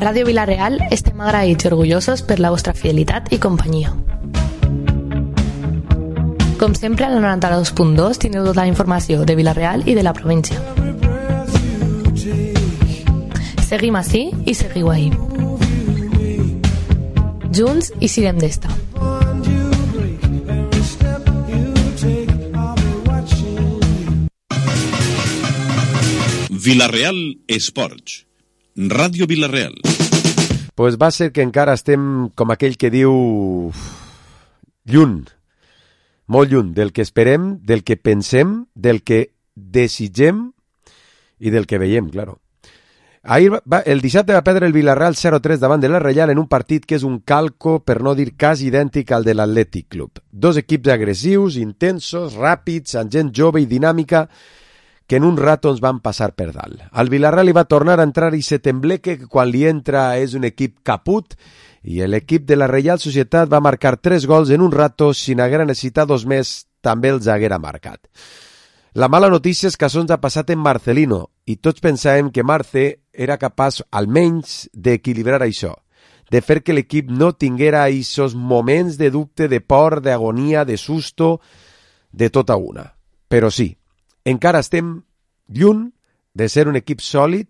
Ràdio Vila-real estem agraïts i orgullosos per la vostra fidelitat i companyia. Com sempre, a la 92.2 tindreu tota la informació de Vila-real i de la província. Seguim ací i seguiu ahí. Junts i siguem d'esta. Vila-real Esports. Ràdio Vila-real. Pues va ser que encara estem, com aquell que diu, lluny, molt lluny del que esperem, del que pensem, del que desitgem i del que veiem, claro. El dissabte va perdre el Vila-real 0-3 davant de la Reial en un partit que és un calco, per no dir quasi idèntic al de l'Atlètic Club. Dos equips agressius, intensos, ràpids, amb gent jove i dinàmica, que en un rato ens van passar per dalt. Al Vila-real li va tornar a entrar i se tembleque que quan li entra és un equip caput i l'equip de la Reial Societat va marcar 3 gols en un rato, si n'haguera necessitat 2 més també els haguera marcat. La mala notícia és que això ens ha passat en Marcelino i tots pensàvem que Marce era capaç almenys d'equilibrar això, de fer que l'equip no tinguera aquests moments de dubte, de por, d'agonia, de susto, de tota una. Però sí, encara estem lluny de ser un equip sòlid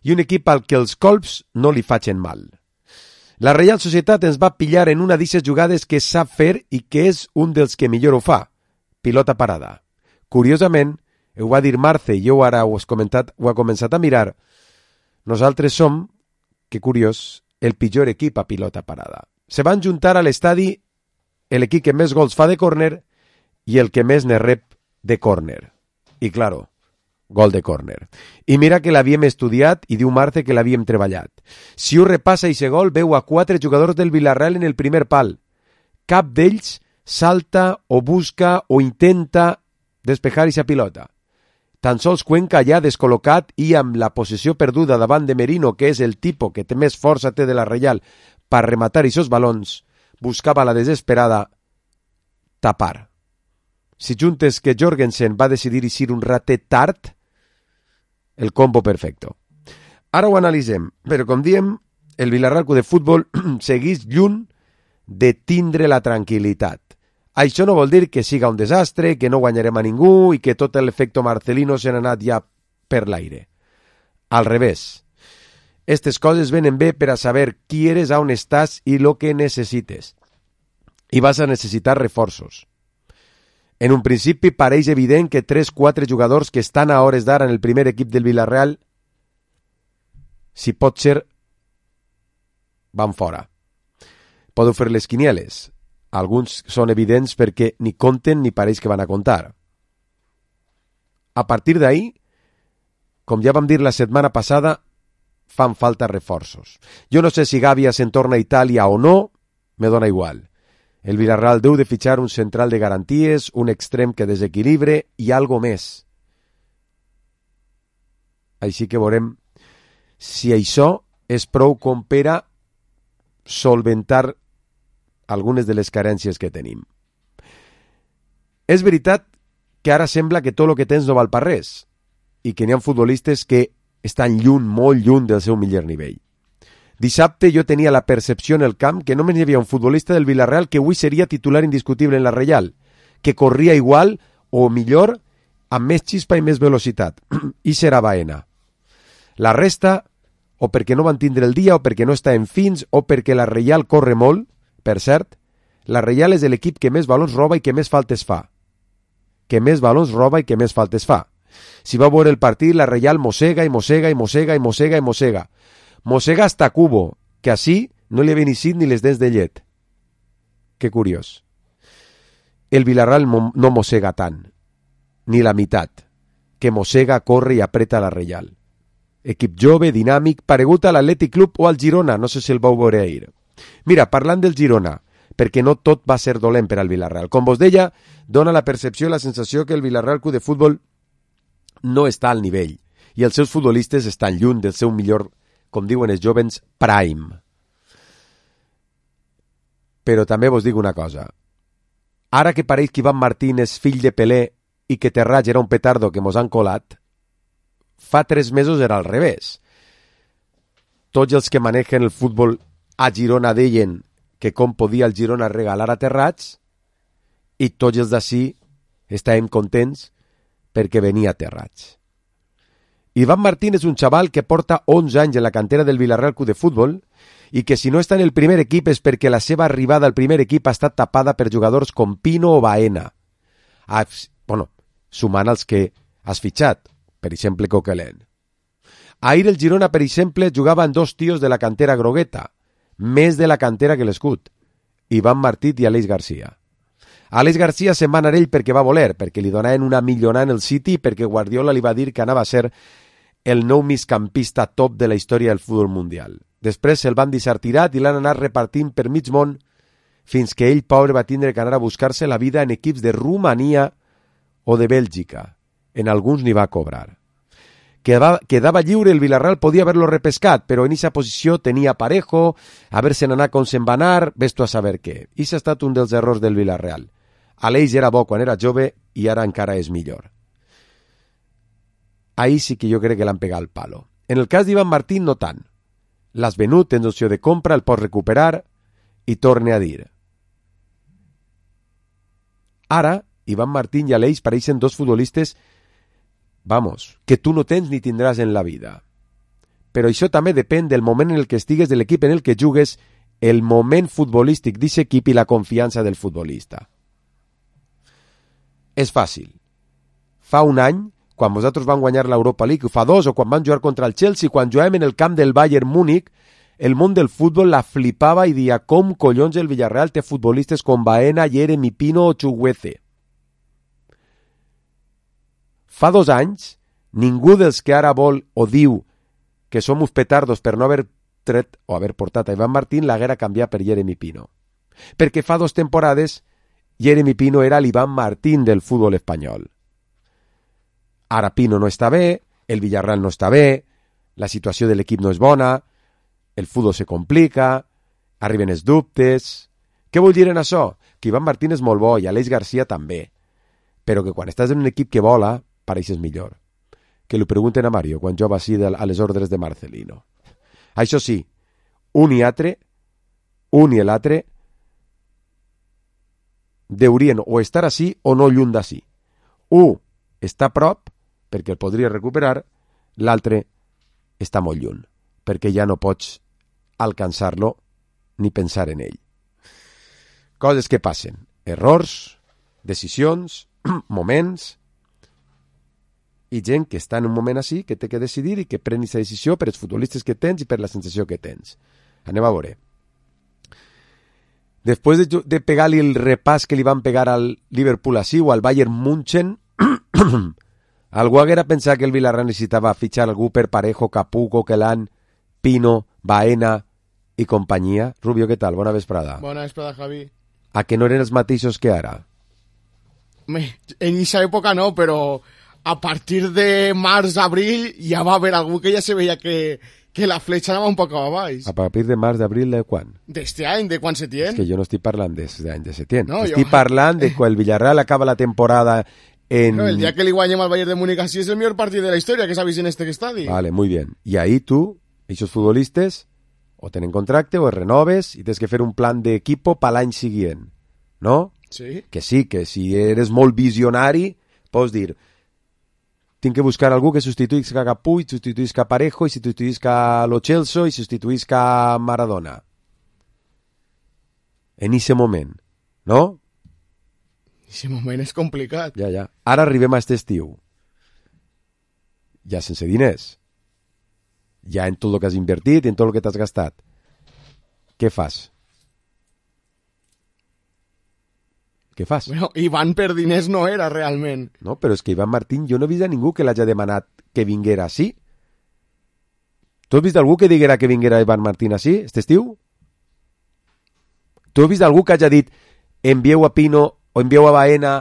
i un equip al que els colps no li facin mal. La Reial Societat ens va pillar en una d'aquestes jugades que sap fer i que és un dels que millor ho fa, pilota parada. Curiosament, ho va dir Marce i jo ara ho he començat a mirar, nosaltres som, que curiós, el pitjor equip a pilota parada. Se van juntar a l'estadi l'equip que més gols fa de córner i el que més ne rep de córner. I, claro, gol de córner. I mira que l'havíem estudiat i diu Marce que l'havíem treballat. Si ho repassa i gol, veu a 4 jugadors del Vila-real en el primer pal. Cap d'ells salta o busca o intenta despejar aquesta pilota. Tan sols Cuenca ja descol·locat i amb la possessió perduda davant de Merino, que és el tipus que més força té de la Reial per rematar aquests balons, buscava la desesperada tapar. Si juntes que Jorgensen va decidir eixir un ratet tard, el combo perfecto. Ara ho analitzem, però com diem, el Vila-real de futbol segueix lluny de tindre la tranquil·litat. Això no vol dir que siga un desastre, que no guanyarem a ningú i que tot l'efecte Marcelino se n'ha anat ja per l'aire. Al revés. Estes coses venen bé per a saber qui eres, on estàs i lo que necessites. I vas a necessitar reforços. En un principi pareix evident que 3-4 jugadors que estan a hores d'ara en el primer equip del Vila-real, si pot ser, van fora. Podeu fer les quinieles. Alguns són evidents perquè ni compten ni pareix que van a comptar. A partir d'ahí, com ja vam dir la setmana passada, fan falta reforços. Jo no sé si Gàbia se'n torna a Itàlia o no, me dona igual. El Vila-real deu de fitxar un central de garanties, un extrem que desequilibre i algo més. Així que veurem si això és prou com per a solventar algunes de les carències que tenim. És veritat que ara sembla que tot el que tens no val per res i que n'hi ha futbolistes que estan lluny, molt lluny del seu millor nivell. Dissabte jo tenia la percepció en el camp que només hi havia un futbolista del Vila-real que avui seria titular indiscutible en la Reial, que corria igual o millor, amb més xispa i més velocitat. I serà Baena. La resta, o perquè no van tindre el dia, o perquè no està en fins, o perquè la Reial corre molt. Per cert, la Reial és l'equip que més balons roba i que més faltes fa. Si va veure el partit, la Reial mossega i mossega i mossega i mossega i mossega. Mossega hasta Cubo, que així no li havien eixit ni les dents de llet. Que curiós. El Vila-real no mossega tant, ni la meitat, que mossega, corre i apreta la Reial. Equip jove, dinàmic, paregut a l'Atlètic Club o al Girona, no sé si el vau veure ahir. Mira, parlant del Girona, perquè no tot va ser dolent per al Vila-real. Com vos deia, dona la percepció i la sensació que el Vila-real Club de Futbol no està al nivell i els seus futbolistes estan lluny del seu millor, com diuen els jovens, prime. Però també vos dic una cosa. Ara que pareix que Iván Martín és fill de Pelé i que Terrats era un petardo que mos han colat, fa 3 mesos era al revés. tots els que manejen el futbol a Girona deien que com podia el Girona regalar aterrats i tots els d'ací estàvem contents perquè venia aterrats. Iván Martín és un xaval que porta 11 anys en la cantera del Villarreal Club de Futbol i que si no està en el primer equip és perquè la seva arribada al primer equip ha estat tapada per jugadors com Pino o Baena. Sumant els que has fitxat, per exemple Coquelin. Ahir el Girona, per exemple, jugava amb 2 tios de la cantera grogueta, més de la cantera que l'escut, Iván Martí i Aleix Garcia. Aleix Garcia se'n va anar ell perquè va voler, perquè li donaven una millonada en el City i perquè Guardiola li va dir que anava a ser el nou migcampista top de la història del futbol mundial. Després se'l van deixar tirat i l'han anat repartint per mig món fins que ell, pobre, va tindre que anar a buscar-se la vida en equips de Romania o de Bèlgica. En alguns n'hi va cobrar. Quedava lliure, el Villarreal podia haver-lo repescat, però en aquesta posició tenia Parejo, haver-se'n anat com se'n va anar, ves-tu a saber què. I s'ha estat un dels errors del Villarreal. Aleix era bo quan era jove i ara encara és millor. Ahí sí que jo crec que l'han pegat el palo. En el cas d'Iván Martín no tant. L'has venut, tens opció de compra, el pots recuperar i torne a dir. Ara, Iván Martín i Aleix pareixen 2 futbolistes que tu no tens ni tindràs en la vida. Però això també depèn del moment en el que estigues, de l'equip en el que jugues, el moment futbolístic d'aquest equip i la confiança del futbolista. És fàcil. Fa un any, quan vosaltres van guanyar l'Europa League, o fa 2, o quan van jugar contra el Chelsea, quan jugàvem en el camp del Bayern Múnich, el món del futbol la flipava i dia com collons el Villarreal té futbolistes com Baena, Jeremy Pino o Chukwueze. Fa 2 anys, ningú dels que ara vol o diu que som uns petardos per no haver tret o haver portat a Iván Martín l'haguera canviat per Jeremy Pino. Perquè fa 2 temporades Jeremy Pino era l'Iván Martín del futbol espanyol. Ara Pino no està bé, el Villarreal no està bé, la situació de l'equip no és bona, el futbol se complica, arriben els dubtes. Què vull dir en això? Que Iván Martín és molt bo i Aleix Garcia també, però que quan estàs en un equip que vola, pareixes millor. Que li pregunten a Mario quan jova així a les ordres de Marcelino. Això sí, un i l'altre deurien o estar així o no lluny d'ací. Un està a prop perquè el podria recuperar, l'altre està molt lluny perquè ja no pots alcançar-lo ni pensar en ell. Coses que passen, errors, decisions, moments, i gent que està en un moment així, que té que decidir i que pren aquesta decisió per els futbolistes que tens i per la sensació que tens. Anem a veure. Després de pegar-li el repàs que li van pegar al Liverpool així o al Bayern München, algú haguera pensat que el Villarreal necessitava fitxar algú per Parejo, Capú, Coquelin, Pino, Baena i companyia. Rubio, què tal? Bona vesprada. Bona vesprada, Javi. A que no eren els mateixos que ara? En aquesta època no, però a partir de març, abril, ja va haver algú que ja se veia que la fletxa anava un poc a baix. A partir de març, d'abril, de quan? D'este any, de quan Setién. És que jo no estic parlant d'any de Setién. No, estic parlant de quan el Villarreal acaba la temporada en... No, el dia que li guanyem al Bayern de Múnich així és el millor partit de la història que s'ha vist en este estadi. Vale, muy bien. Y ahí tú, esos futbolistes, o tenen contracte o es renoves i tens que fer un plan d'equipo per l'any següent, no? Sí. Que sí, que si eres molt visionari, pots dir... Tinc que buscar algú que substituïsca a Capú, i substituïsca a Parejo, i substituïsca a Lo Celso, i substituïsca a Maradona. En ese moment, no? Ese moment és complicat. Ja. Ara arribem a aquest estiu. Ja sense diners. Ja en tot el que has invertit, en tot el que t'has gastat. Què fas? Què fas? Bueno, Iván per diners no era realment. No, però és que Iván Martín jo no he vist a ningú que l'hagi demanat que vinguera així. Tu has vist algú que diguera que vinguera Iván Martín així, aquest estiu? Tu has vist algú que hagi dit envieu a Pino o envieu a Baena,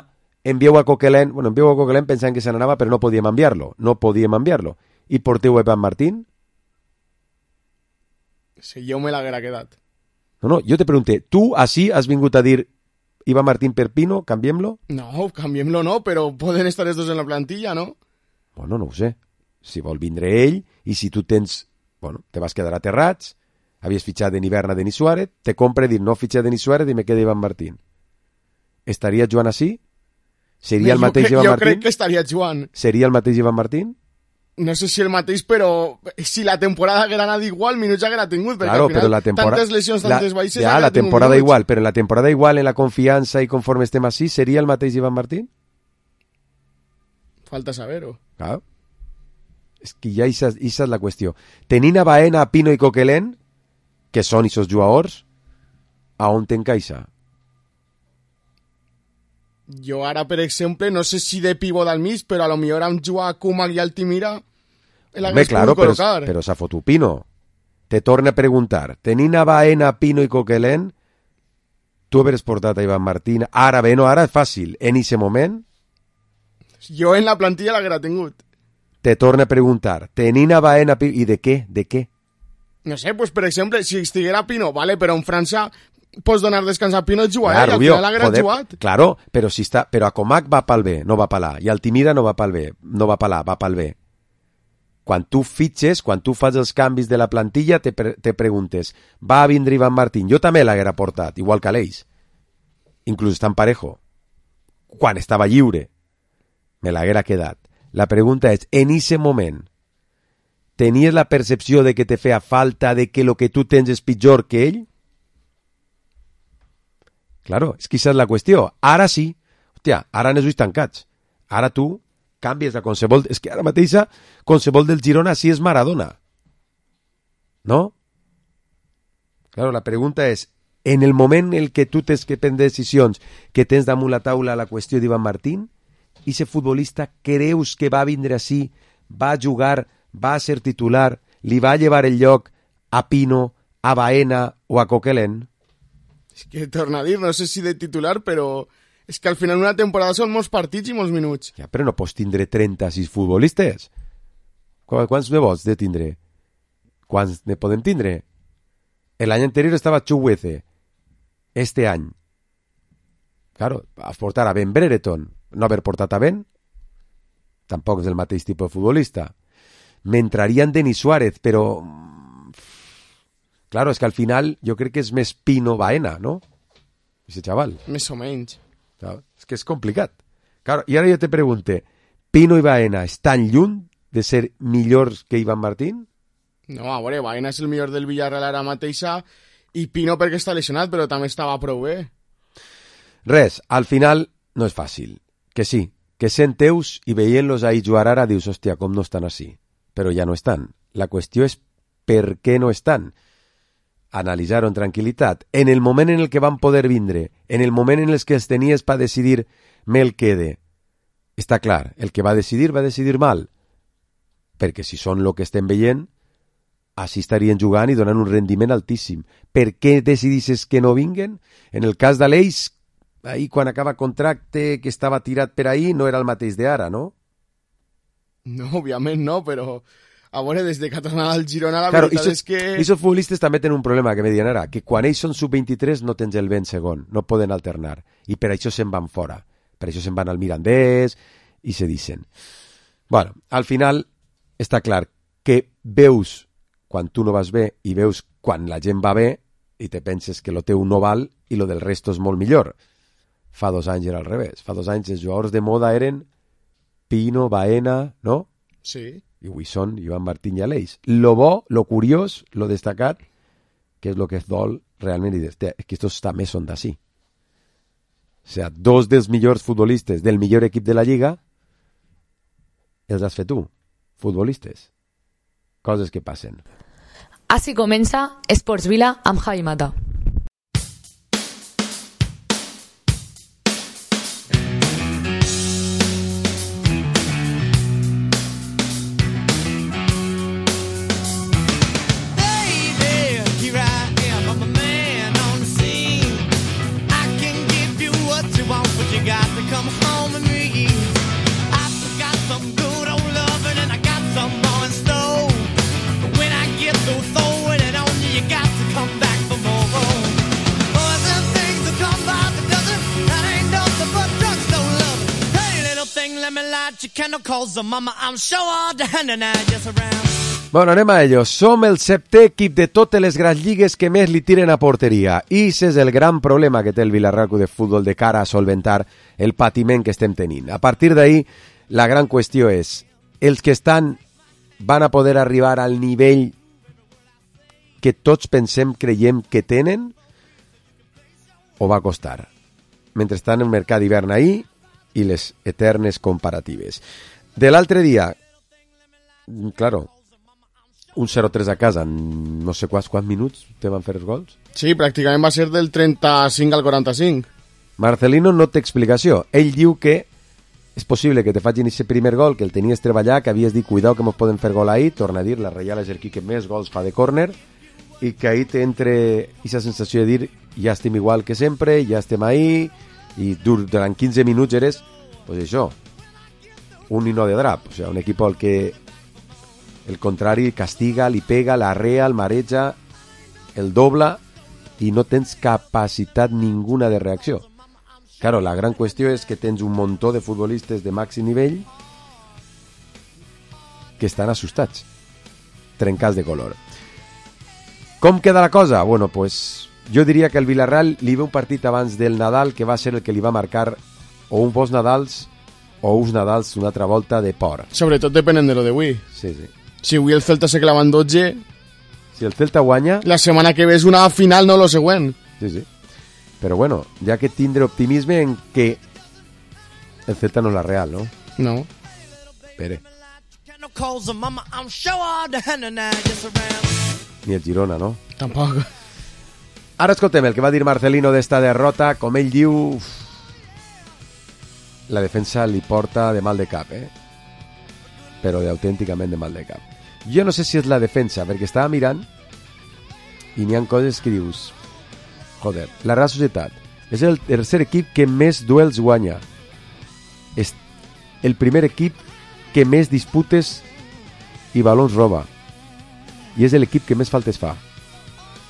envieu a Coquelin? Bueno, envieu a Coquelin pensant que se n'anava, però no podíem enviar-lo. I porteu a Iván Martín? Si jo me l'haguera quedat. No, jo te pregunté, tu així has vingut a dir Iván Martín per Pino, canviem-lo? No, canviem-lo no, però poden estar els dos en la plantilla, no? Bueno, no ho sé. Si vol vindre ell, i si tu tens Bueno, te vas quedar aterrats, havies fitxat en hivern a Denis Suárez, te compre dir no fitxa Denis Suárez i me queda Iván Martín. Estaria Joan així? Seria el mateix Iván Martín? Jo crec que estaria Joan. Seria el mateix Iván Martín? No sé si el mateix, però si la temporada haguera anat igual, minuts haguera tingut, perquè claro, al final però la tantes lesions, tantes baixes... Ja, la temporada igual, però en la temporada igual, en la confiança i conforme estem així, seria el mateix Iván Martín? Falta saber-ho. Claro. És que ja esa és la qüestió. Tenint a Baena, a Pino i Coquelin, que són aquests jugadors, a on t'encaixa? Jo ara, per exemple, no sé si de pivot al mig, però a lo millor amb jugar a Koeman i Altimira l'hagués pogut col·locar. Però s'ha fotut Pino. Te torna a preguntar. Tenint a Baena, Pino i Coquelin, tu hauries portat a Iván Martín. Ara bé, no, ara és fàcil. En aquest moment... Jo en la plantilla l'haguera tingut. Te torna a preguntar. Tenint a Baena, Pino... I de què? De què? No sé, pues per exemple, si estiguera Pino, vale, però en França pots donar descans a Pino i jugar, clar, i al Rubio, final l'haguera jugat. Claro, però si està, però a Comac va pel B, no va per l'A, i Altimira no va pel B, no va per l'A, va pel B. Quan tu fitxes, quan tu fas els canvis de la plantilla, te preguntes, va a vindre Iván Martín? Jo també l'haguera portat, igual que l'Eix. Inclús està en Parejo. Quan estava lliure, me l'haguera quedat. La pregunta és, en ese moment, tenies la percepció de que te feia falta, de que lo que tu tens és pitjor que ell? Claro, és que aquesta és la qüestió. Ara sí, hòstia, ara han els ulls tancats. Ara tu canvies a qualsevol... És que ara mateixa qualsevol del Girona sí és Maradona. No? Claro, la pregunta és, en el moment en què tu tens que prendre decisions, que tens damunt la taula la qüestió d'Iván Martín, i ese futbolista creus que va vindre així, va jugar, va ser titular, li va llevar el lloc a Pino, a Baena o a Coquelin? És que torna a dir, no sé si de titular, però és que al final una temporada són molts partits i molts minuts. Ja, però no pots tindre 36 futbolistes. Quants ne vols de tindre? Quants ne podem tindre? L'any anterior estava Chukwueze. Este any. Claro, has portat a Ben Brereton. No haver portat a Ben, tampoc és el mateix tipus de futbolista. M'entraria en Denis Suárez, però... Claro, és que al final jo crec que és més Pino Baena, no? Ese chaval. Més o menys. Claro, és que és complicat. Claro, i ara jo te pregunte, Pino i Baena estan lluny de ser millors que Iván Martín? No, a veure, Baena és el millor del Villarreal ara mateixa i Pino perquè està lesionat, però també estava prou bé. Res, al final no és fàcil. Que sí, que sent teus i veient-los ahí jugar ara dius, hòstia, com no estan així. Però ja no estan. La qüestió és per què no estan. Analitzar-ho en tranquil·litat. En el moment en el que van poder vindre, en el moment en el que els tenies per decidir me'l quede, està clar, el que va decidir mal. Perquè si són el que estem veient, així estarien jugant i donant un rendiment altíssim. Per què decidisses que no vinguen? En el cas de l'Eix, ahir quan acaba contracte, que estava tirat per ahir, no era el mateix d'ara, no? No, òbviament no, però... A veure, des de que ha tornat al Girona, la veritat és que... I els futbolistes també tenen un problema, que me diuen ara, que quan ells són sub-23 no tens el vent segon, no poden alternar, i per això se'n van fora. Per això se'n van al Mirandés i se dicen. Bueno, al final està clar que veus quan tu no vas bé i veus quan la gent va bé i te penses que lo teu no val i lo del resto és molt millor. Fa 2 anys era al revés. Fa 2 anys els jugadors de moda eren Pino, Baena, no? Sí. I avui són Iván Martín i Aleix. Lo bo, lo curiós, lo destacat, que és lo que es dol realment, i és que estos també són d'ací. O sea, 2 dels millors futbolistes del millor equip de la Lliga els has fet tu, futbolistes. Coses que passen. Així comença Esports Vila amb Javi Mata. Bueno, anem a ello. Som el 7è equip de totes les grans lligues que més li tiren a porteria. I aquest és el gran problema que té el Villarreal Club de Futbol de cara a solventar el patiment que estem tenint. A partir d'ahí, la gran qüestió és, els que estan van a poder arribar al nivell que tots creiem que tenen, o va costar? Mentre estan en el mercat d'hivern ahí i les eternes comparatives. De l'altre dia, claro, un 0-3 a casa en no sé quants minuts te van fer els gols. Sí, pràcticament va ser del 35 al 45. Marcelino no té explicació. Ell diu que és possible que te facin aquest primer gol, que el tenies treballar, que havies dit, cuidao que mos poden fer gol ahí, torna a dir, la Reial és el que més gols fa de córner, i que ahí t'entre aquesta sensació de dir, ja estem igual que sempre, ja estem ahí, i durant 15 minuts eres, pues això, un nino de drap, o sigui, un equip al que el contrari castiga, li pega, l'arrea, el mareja, el dobla, i no tens capacitat ninguna de reacció. Claro, la gran qüestió és que tens un muntó de futbolistes de màxim nivell que estan assustats, trencats de color. Com queda la cosa? Bueno, pues jo diria que el Villarreal li ve un partit abans del Nadal que va ser el que li va marcar o un bons Nadals o uns Nadals una altra volta de por. Sobretot depenent de lo d'avui. Sí, sí. Si avui el Celta se clava en 12... Si el Celta guanya... La setmana que ve és una final, no lo següent. Sí, sí. Però bueno, ja que tindre optimisme en que el Celta no és la Real, ¿no? No. Pere. Ni el Girona, no? Tampoc. Ara escoltem el que va dir Marcelino d'esta derrota. Com ell diu, la defensa li porta de mal de cap, però d'autènticament de mal de cap. Jo no sé si és la defensa, perquè estava mirant i n'hi ha coses que dius, joder, la Real Societat és el tercer equip que més duels guanya, és el primer equip que més disputes i balons roba, i és l'equip que més faltes fa.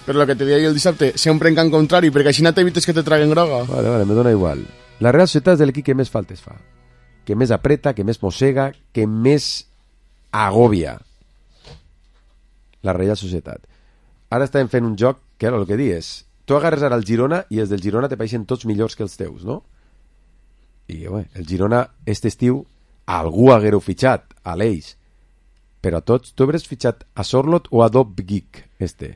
Però el que te deia jo el dissabte, sempre en camp contrari, perquè així no t'evites que te traguen groga. Vale, me dona igual. La Real Societat és l'equip que més faltes fa, que més apreta, que més mossega, que més agòbia. La Reial Societat. Ara estem fent un joc que era el que dius. Tu agarres ara el Girona i els del Girona te pareixen tots millors que els teus, no? I bé, el Girona, este estiu, algú haguereu fitxat, a l'Eix. Però a tots, tu hauràs fitxat a Sorlot o a Dobgik, este?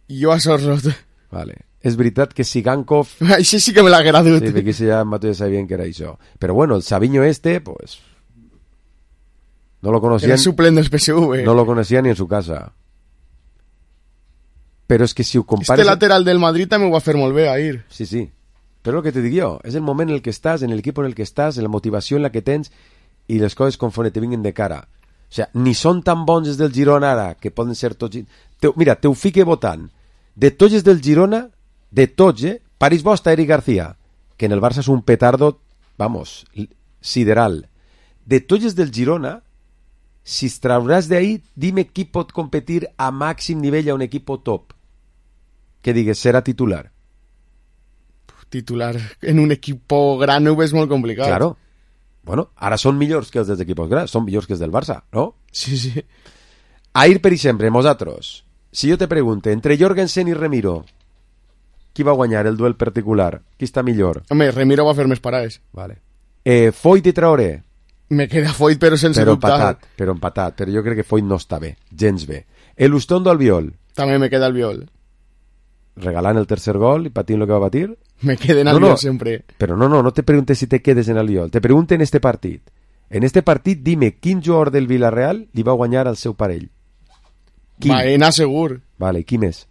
Jo a Sorlot. Vale. És veritat que Sigankov... Això sí que me l'haguera dut. Sí, perquè ja ja sabien que era això. Però bueno, el Savinho este, pues... No lo conocían... Era suplent del PSV. No lo conocía ni en su casa. Però és que si ho compares... Este lateral del Madrid també ho va fer molt bé, Ahir. Sí, sí. Però el que te dic jo, és el moment en el que estàs, en l'equip en el que estàs, en la motivació en la que tens i les coses conforme te vinguin de cara. O sigui, ni són tan bons els del Girona ara, que poden ser tots... Mira, te ho fique votant. De tots els del Girona, de tots, París Bosta, Eric García, que en el Barça és un petardo, vamos, sideral. De tots els del Girona, si es trauràs d'ahí, dime qui pot competir a màxim nivell a un equip top. Que digues, serà titular. Titular en un equip gran ho és molt complicat. Claro. Bueno, ara són millors que els dels equips grans, són millors que els del Barça, no? Sí, sí. Ahir, per exemple, nosaltres, si jo te pregunte, entre Jorgensen i Remiro, qui va guanyar el duel particular? Qui està millor? Home, Remiro va fer més parades. Vale. Foyt i Traoré? Me queda Foyt, però sense dubtar. Però empatat, però jo crec que Foyt no està bé, gens bé. Elustondo Albiol? També me queda Albiol. Regalant el tercer gol i patint el que va patir? Me quedé en Albiol sempre. Però no te preguntes si te quedes en Albiol, te pregunte en este partit. En este partit dime quin jugador del Villarreal li va guanyar al seu parell. Baena segur. Vale, qui més?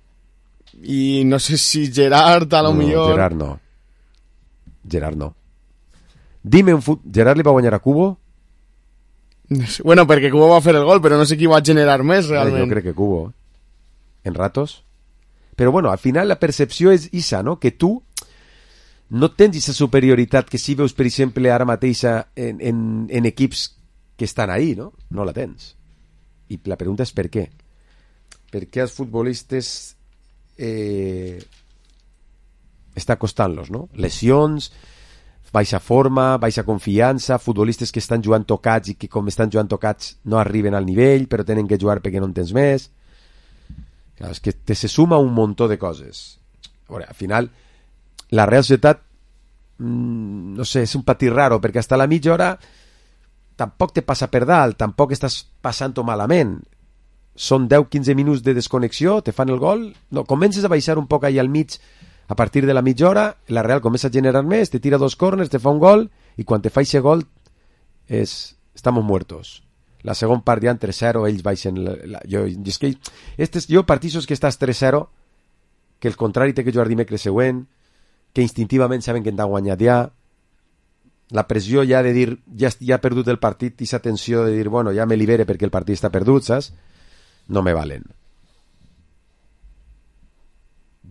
I no sé si Gerard a lo millor. Gerard no. Dime Gerard li va guanyar a Cubo? No sé. Bueno, perquè Cubo va fer el gol, però no sé qui va generar més realment. Jo crec que Cubo. En ratos. Però bueno, al final la percepció és isa, no? Que tu no tens aquesta superioritat que si veus, per exemple, ara mateixa en equips que estan ahí, no? No la tens. I la pregunta és per què. Per què als futbolistes està costant-los, no? Lesions, baixa forma, baixa confiança, futbolistes que estan jugant tocats i que com estan jugant tocats no arriben al nivell, però tenen que jugar perquè no en tens més. Clar, és que se suma un muntó de coses. A veure, al final, la Real Societat, no sé, és un patit raro, perquè hasta la mitja hora tampoc te passa per dalt, tampoc estàs passant-ho malament. Són 10-15 minuts de desconnexió, te fan el gol, no, comences a baixar un poc allà al mig. A partir de la mitja hora, la Real comença a generar més, te tira 2 corners, te fa un gol, i quan te fa aquest gol, estamos muertos. La segona part ja en 3-0, ells baixen... Jo partits que estàs 3-0, que el contrari té que jugar dimecres següent, que instintivament saben que han de guanyar ja, la pressió ja de dir, ja ha perdut el partit, i aquesta tensió de dir, bueno, ja me libere perquè el partit està perdut, saps? No me valen.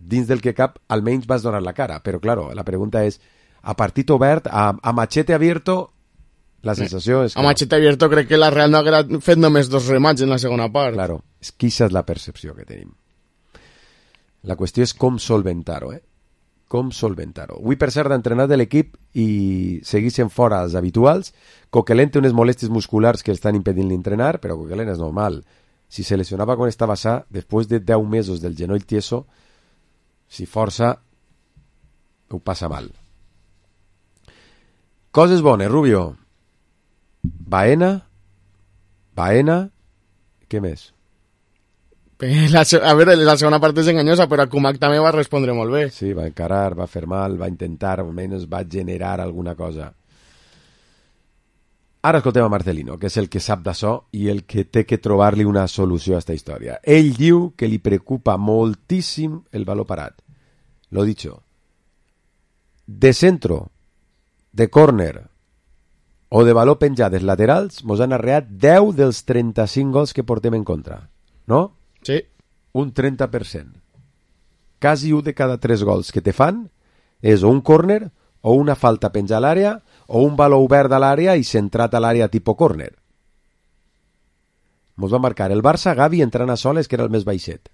Dins del que cap, almenys vas donar la cara, però claro, la pregunta és, a partit obert, a machete abierto, la sensació és que... A machete abierto crec que la Real no haguera fet només 2 remats en la segona part. Claro, és que aquesta és la percepció que tenim. La qüestió és com solventar-ho, Com solventar-ho. Avui, per cert, ha entrenat de l'equip i seguissin fora els habituals. Coquelin té unes molèsties musculars que estan impedint entrenar, però Coquelin és normal. Si se lesionava quan estava sa, després de 10 mesos del genoll tieso, si força, ho passa mal. Coses bones, Rubio. Baena, què més? A veure, la segona part és enganyosa, però Kumak també va respondre molt bé. Sí, va encarar, va fer mal, va intentar, almenys va generar alguna cosa. Ara escoltem a Marcelino, que és el que sap d'això i el que té que trobar-li una solució a aquesta història. Ell diu que li preocupa moltíssim el valor parat. Lo dicho. De centro, de córner o de valor penjades laterals, mos han arreat 10 dels 35 gols que portem en contra. No? Sí. Un 30%. Quasi 1 de cada 3 gols que te fan és o un córner o una falta penjar a l'àrea o un valor obert a l'àrea i centrat a l'àrea tipus córner. Mos va marcar el Barça, Gavi entrant a soles, que era el més baixet.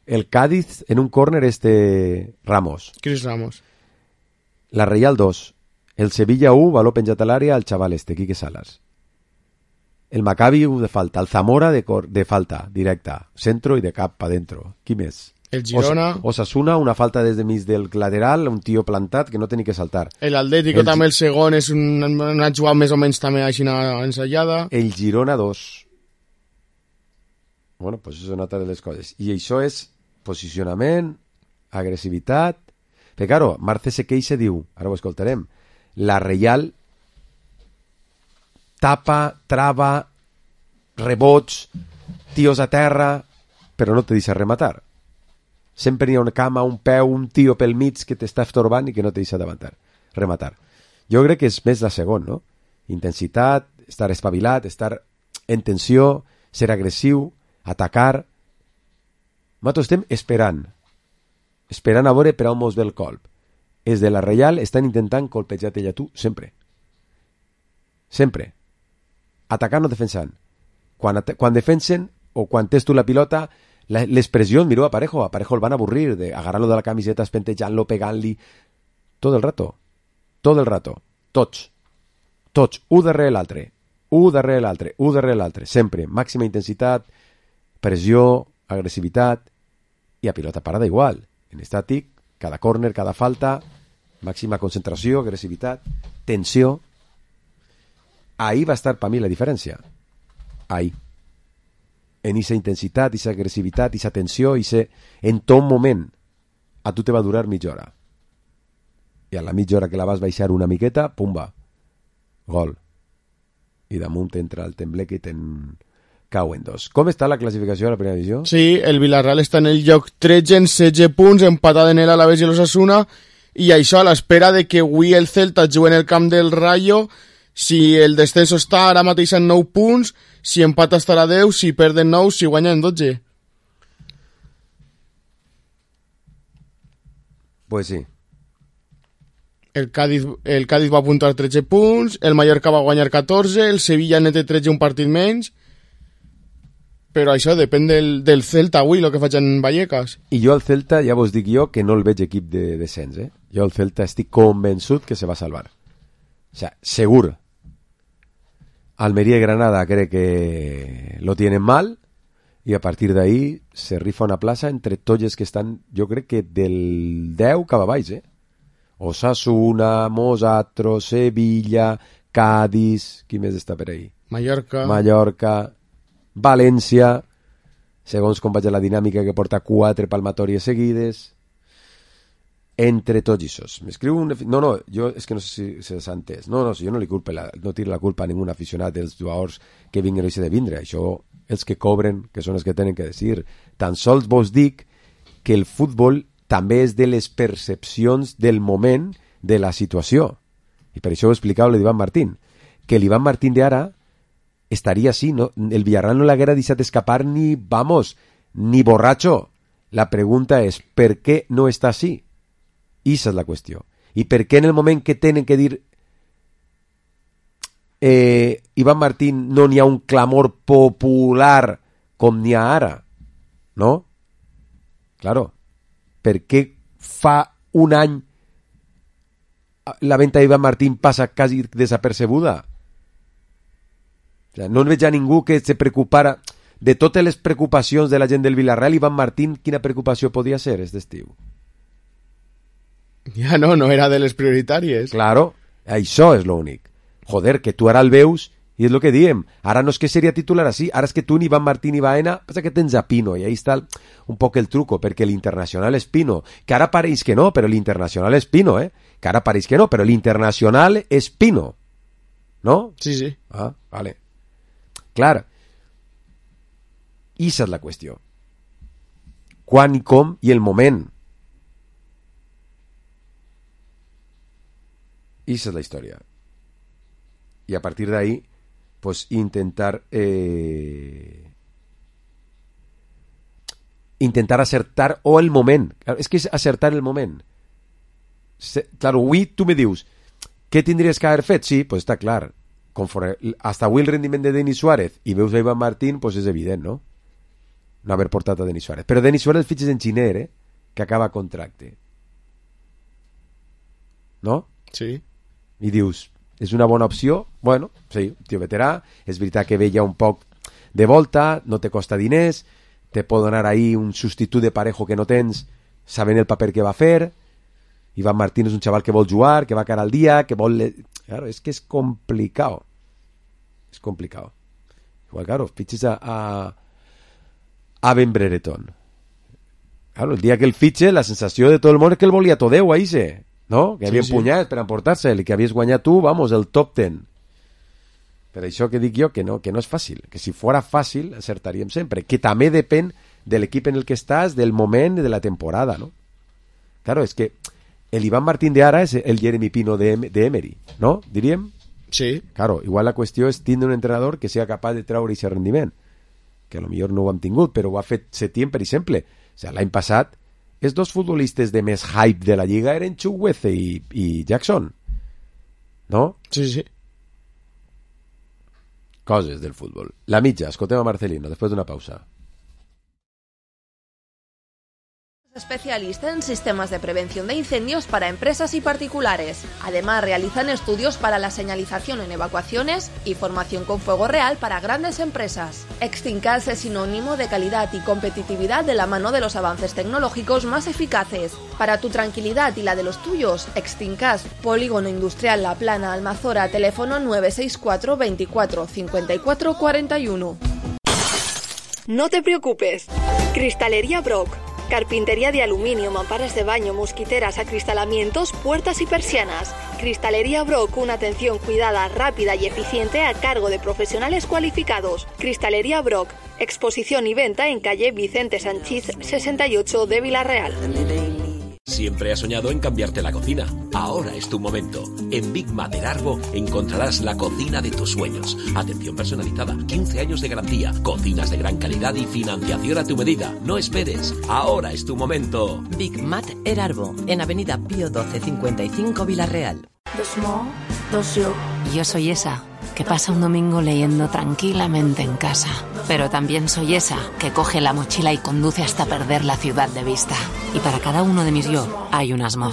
El Cádiz en un córner Ramos. Cris Ramos. La Real 2. El Sevilla 1, valor penjat a l'àrea, el xaval Quique Salas. El Maccabi 1 de falta. El Zamora de falta, directa. Centro i de cap pa dentro. Qui més? El Girona. Osasuna, una falta des de mig del lateral, un tio plantat que no té ni que saltar. El Atlético també, el segon, és una jugada més o menys també així ensayada. El Girona 2. Bueno, pues això és una altra de les coses. I això és posicionament, agressivitat... Perquè, claro, Marce se queixa, diu, ara ho escoltarem, la Reial tapa, trava, rebots, tios a terra, però no te deixa rematar. Sempre hi ha una cama, un peu, un tio pel mig que t'està estorbant i que no te deixa rematar. Jo crec que és més la segona, no? Intensitat, estar espavilat, estar en tensió, ser agressiu, atacar. Nosaltres estem esperant a veure per on mos ve el colp. Els de la Reial estan intentant colpejar-te a tu sempre. Sempre. Atacant o defensant. Quan defensen o quan tens tu la pilota, les pressions, mireu a Parejo el van avorrir de agarrar-lo de la camiseta, espentejant-lo, pegant-li tot el rato, tots, un darrere l'altre, sempre, màxima intensitat, pressió, agressivitat, i a pilota parada igual, en estàtic, cada córner, cada falta, màxima concentració, agressivitat, tensió. Ahí va estar per mi la diferència. Ahí. En esa intensitat, esa agressivitat, esa tensió, en tot moment. A tu te va durar mitja hora. I a la mitja hora que la vas baixar una miqueta, pumba, gol. I damunt entra el tembleque i te'n cau en 2. Com està la classificació de la primera divisió? Sí, el Villarreal està en el lloc 13 en 16 punts, empatat en el Alavés i l'Osasuna, i això a l'espera de que avui el Celta jugui en el camp del Rayo. Si el descenso està ara mateix en 9 punts, si empata estarà a 10, si perden 9, si guanyen 12. Pues sí. El Cádiz va apuntar 13 punts, el Mallorca va guanyar 14, el Sevilla net 13, un partit menys, però això depèn del Celta avui, el que faig en Vallecas. I jo al Celta, ja vos dic jo, que no el veig equip de descens, Jo al Celta estic convençut que se va salvar. O sea, seguro. Almería y Granada cree que lo tienen mal y a partir de ahí se rifa una plaça entre tolles que estan, jo crec que del 10 cap a baix, Osasuna, Mosatro, Sevilla, Cádiz, qui més està per ahí? Mallorca, València, segons com vaig a la dinàmica que porta 4 palmatòries seguides, entre tots ixos. M'escriu un... No, jo és que no sé si s'ha entès. No, jo no li culpo no tiro la culpa a ningú aficionat dels jugadors que vinguen o de vindre. Això, els que cobren, que són els que tenen que dir. Tan sols vos dic que el futbol també és de les percepcions del moment de la situació. I per això ho explicava l'Ivan Martín. Que l'Ivan Martín d'ara estaria així, no? El Villarreal no l'haguera deixat escapar ni borratxo. La pregunta és, per què no està així? Esa és la qüestió. I per què en el moment que tenen que dir Iván Martín no n'hi ha un clamor popular com n'hi ha ara? No? Claro. Per què fa un any la venta d'Iván Martín passa quasi desapercebuda? O sea, no veig a ningú que se preocupara de totes les preocupacions de la gent del Villarreal. Iván Martín, quina preocupació podia ser aquest estiu? Ja no era de les prioritàries. Claro, això és l'únic. Joder, que tu ara el veus i és el que diem. Ara no és que seria titular així, ara és que tu ni Iván Martín ni Baena, passa que tens a Pino, i ahí està un poc el truco, perquè l'internacional és Pino, que ara pareix que no, però l'internacional és Pino, que ara pareix que no, però l'internacional és Pino. No? Sí. Ah, vale. Clar, esa és la qüestió. Quan i com i el moment. Esa es la historia. Y a partir de ahí, pues intentar acertar o el moment. Es que es acertar el moment. Claro, avui tu me dius, què tindries que haver fet? Sí, pues està clar. Conforme, hasta avui el rendiment de Denis Suárez i veus a Iván Martín, pues és evident, no? No haver portat a Denis Suárez. Però Denis Suárez el fitxes en Xiner, que acaba contracte. No? Sí. I dius, és una bona opció? Bueno, sí, tio veterà, és veritat que ve ja un poc de volta, no te costa diners, te pot donar ahí un substitut de Parejo que no tens, sabent el paper que va fer. Iván Martín és un xaval que vol jugar, que va cara al dia, que vol... Claro, és que és complicado. És complicado. Igual, claro, fitxes a Ben Brereton. Claro, el dia que el fitxe, la sensació de tot el món és que el volia Todeu, ahí se... No? Que havia empunyat per emportar-se'l i que havies guanyat tu, vamos, el top 10. Per això que dic jo que no és fàcil, que si fora fàcil acertaríem sempre, que també depèn de l'equip en el que estàs, del moment de la temporada, no? Claro, és que el Iván Martín de ara és el Jeremy Pino de Emery, no? Diríem? Sí. Claro, igual la qüestió és tindre un entrenador que sigui capaç de treure aquest rendiment, que potser no ho hem tingut, però ho ha fet Setién, per exemple. O sigui, l'any passat els dos futbolistes de més hype de la Lliga eren Chukwueze i Jackson. No? Sí. Coses del futbol. La mitja, escoltem a Marcelino, després d'una pausa. Especialista en sistemas de prevención de incendios para empresas y particulares. Además, realizan estudios para la señalización en evacuaciones y formación con fuego real para grandes empresas. Extincas es sinónimo de calidad y competitividad de la mano de los avances tecnológicos más eficaces. Para tu tranquilidad y la de los tuyos, Extincas, Polígono Industrial La Plana, Almazora, teléfono 964 24 54 41. No te preocupes. Cristalería Brock. Carpintería de aluminio, mamparas de baño, mosquiteras, acristalamientos, puertas y persianas. Cristalería Brock, una atención cuidada, rápida y eficiente a cargo de profesionales cualificados. Cristalería Brock, exposición y venta en calle Vicente Sanchís 68 de Villarreal. Siempre has soñado en cambiarte la cocina. Ahora es tu momento. En Big Mat Erarbo encontrarás la cocina de tus sueños. Atención personalizada, 15 años de garantía, cocinas de gran calidad y financiación a tu medida. No esperes. Ahora es tu momento. Big Mat Erarbo, en Avenida Pío 12 55 Villarreal. Yo soy esa que pasa un domingo leyendo tranquilamente en casa. Pero también soy esa que coge la mochila y conduce hasta perder la ciudad de vista. Y para cada uno de mis yo hay un asmo.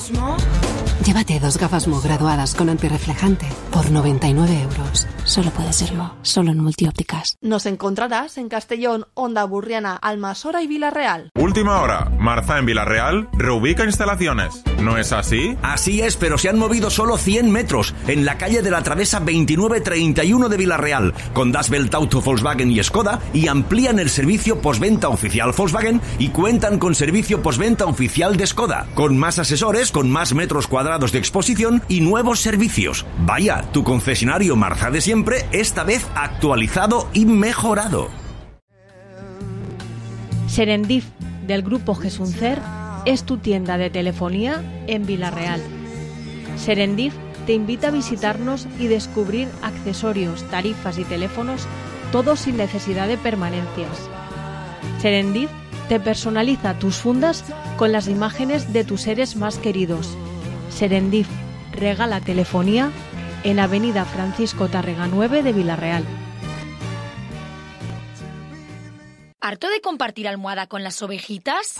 Llévate 2 gafas Mo graduadas con antirreflejante por 99 euros. Solo puede ser Mo, solo en Multiópticas. Nos encontrarás en Castellón, Onda Burriana, Almasora y Villarreal. Última hora. Marza en Villarreal reubica instalaciones. ¿No es así? Así es, pero se han movido solo 100 metros en la calle de la Travesa 2931 de Villarreal, con Das Welt Auto Volkswagen y Skoda, y amplían el servicio postventa oficial Volkswagen y cuentan con servicio postventa oficial de Skoda, con más asesores, con más metros cuadrados de exposición y nuevos servicios. Vaya, tu concesionario Marza de siempre, esta vez actualizado y mejorado. Serendip, del grupo Gesuncer, es tu tienda de telefonía en Villarreal. Serendip te invita a visitarnos y descubrir accesorios, tarifas y teléfonos, todos sin necesidad de permanencias. Serendip te personaliza tus fundas con las imágenes de tus seres más queridos. Serendip regala telefonía en Avenida Francisco Tárrega 9 de Villarreal. ¿Harto de compartir almohada con las ovejitas?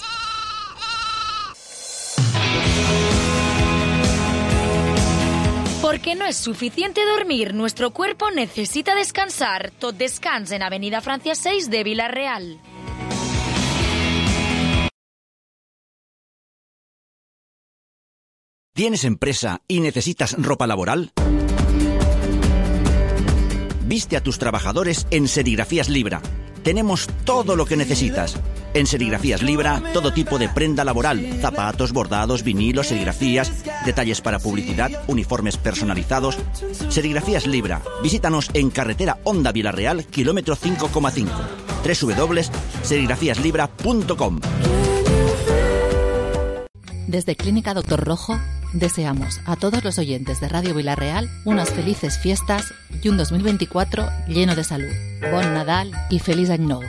Porque no es suficiente dormir, nuestro cuerpo necesita descansar. Tot Descans en Avenida Francia 6 de Villarreal. ¿Tienes empresa y necesitas ropa laboral? Viste a tus trabajadores en Serigrafías Libra. Tenemos todo lo que necesitas. En Serigrafías Libra, todo tipo de prenda laboral, zapatos, bordados, vinilos, serigrafías, detalles para publicidad, uniformes personalizados. Serigrafías Libra. Visítanos en carretera Onda Villarreal, kilómetro 5,5. www.serigrafiaslibra.com. Desde Clínica Doctor Rojo, deseamos a todos los oyentes de Radio Villarreal unas felices fiestas y un 2024 lleno de salud. Bon Nadal i feliç any nou.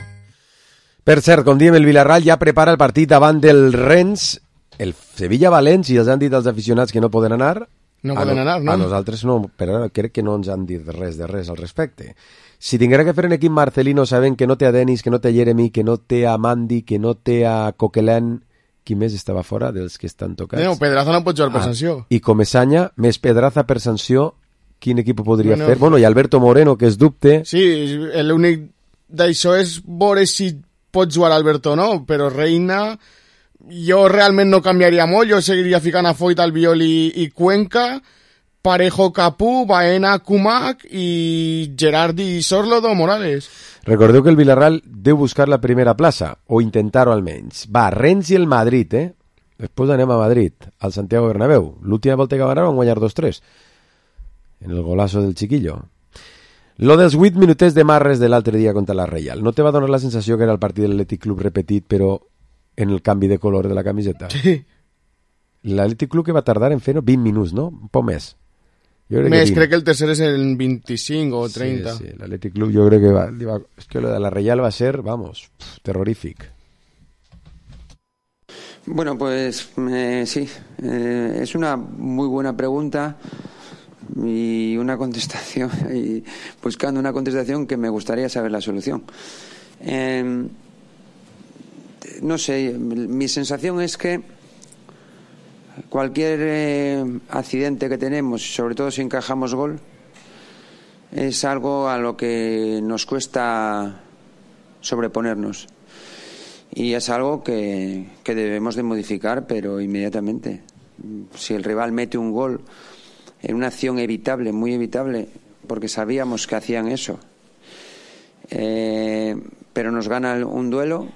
Per cert, com diem, el Villarreal ja prepara el partit davant del Rennes, el Sevilla-València, i els han dit als aficionats que no poden anar. No poden anar, no? A nosaltres no, però crec que no ens han dit res al respecte. Si tinguera que fer un equip Marcelino sabent que no té a Denis, que no té a Jeremy, que no té a Mandy, que no té a Coquelin, qui més estava fora dels que estan tocats? No, Pedraza no pot jugar per sanció. I Comesaña, més Pedraza per sanció, quin equip podria fer? Bueno, i Alberto Moreno, que és dubte. Sí, l'únic d'això és veure si pot jugar Alberto o no, però Reina jo realment no canviaria molt, jo seguiria ficant a Foyt, Albiol i Cuenca, Parejo, Capú, Baena, Kumak i Gerardi, Sorlodo, Morales. Recordeu que el Villarreal deu buscar la primera plaça, o intentar-ho almenys. Va, Rennes i el Madrid, Després anem a Madrid, al Santiago Bernabéu. L'última volta que van anar van guanyar 2-3, en el golazo del Chiquillo. Lo dels 8 minutets de Marres de l'altre dia contra la Reial. No te va donar la sensació que era el partit de l'Atlètic Club repetit, però en el canvi de color de la camiseta? Sí. L'Atlètic Club que va tardar en fer 20 minuts, no? Un poc més. Crec que el tercer és en 25 o 30. Sí, l'Atlètic Club jo crec que va... És que lo de la Reial va ser, vamos, terrorífic. Bueno, pues sí, es una muy buena pregunta y una contestación, y buscando una contestación que me gustaría saber la solución. No sé, mi sensación es que cualquier accidente que tenemos, sobre todo si encajamos gol, es algo a lo que nos cuesta sobreponernos. Y es algo que debemos de modificar, pero inmediatamente. Si el rival mete un gol en una acción evitable, muy evitable, porque sabíamos que hacían eso, pero nos gana un duelo,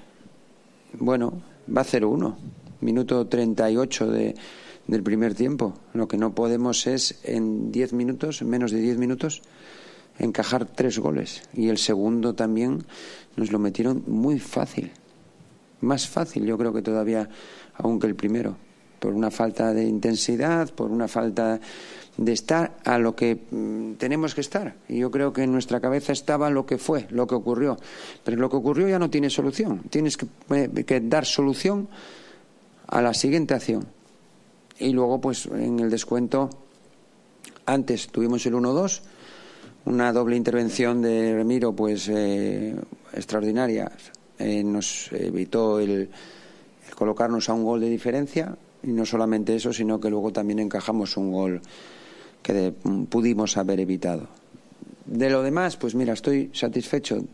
bueno, va 0-1. Minuto 38 del primer tiempo. Lo que no podemos es en 10 minutos, en menos de 10 minutos, encajar 3 goles. Y el segundo también nos lo metieron muy fácil. Más fácil, yo creo que todavía aún que el primero. Por una falta de intensidad, por una falta de estar a lo que tenemos que estar. Y yo creo que en nuestra cabeza estaba lo que fue, lo que ocurrió. Pero lo que ocurrió ya no tiene solución. Tienes que dar solución a la siguiente acción. Y luego, pues, en el descuento, antes tuvimos el 1-2, una doble intervención de Remiro, pues, extraordinaria. Nos evitó el colocarnos a un gol de diferencia, Y no solamente eso, sino que luego también encajamos un gol que pudimos haber evitado. De lo demás, pues mira, estoy satisfecho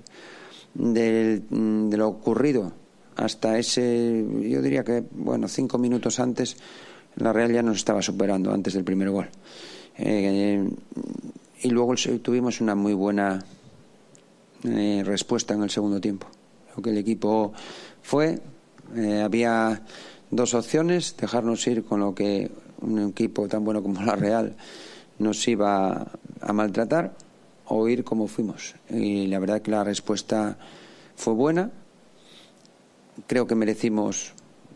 de lo ocurrido hasta ese, yo diría que, 5 minutos antes, la Real ya nos estaba superando antes del primer gol. Y luego tuvimos una muy buena respuesta en el segundo tiempo. Creo que el equipo había dos opciones: dejarnos ir con lo que un equipo tan bueno como la Real nos iba a maltratar, o ir como fuimos. Y la verdad que la respuesta fue buena. Creo que merecimos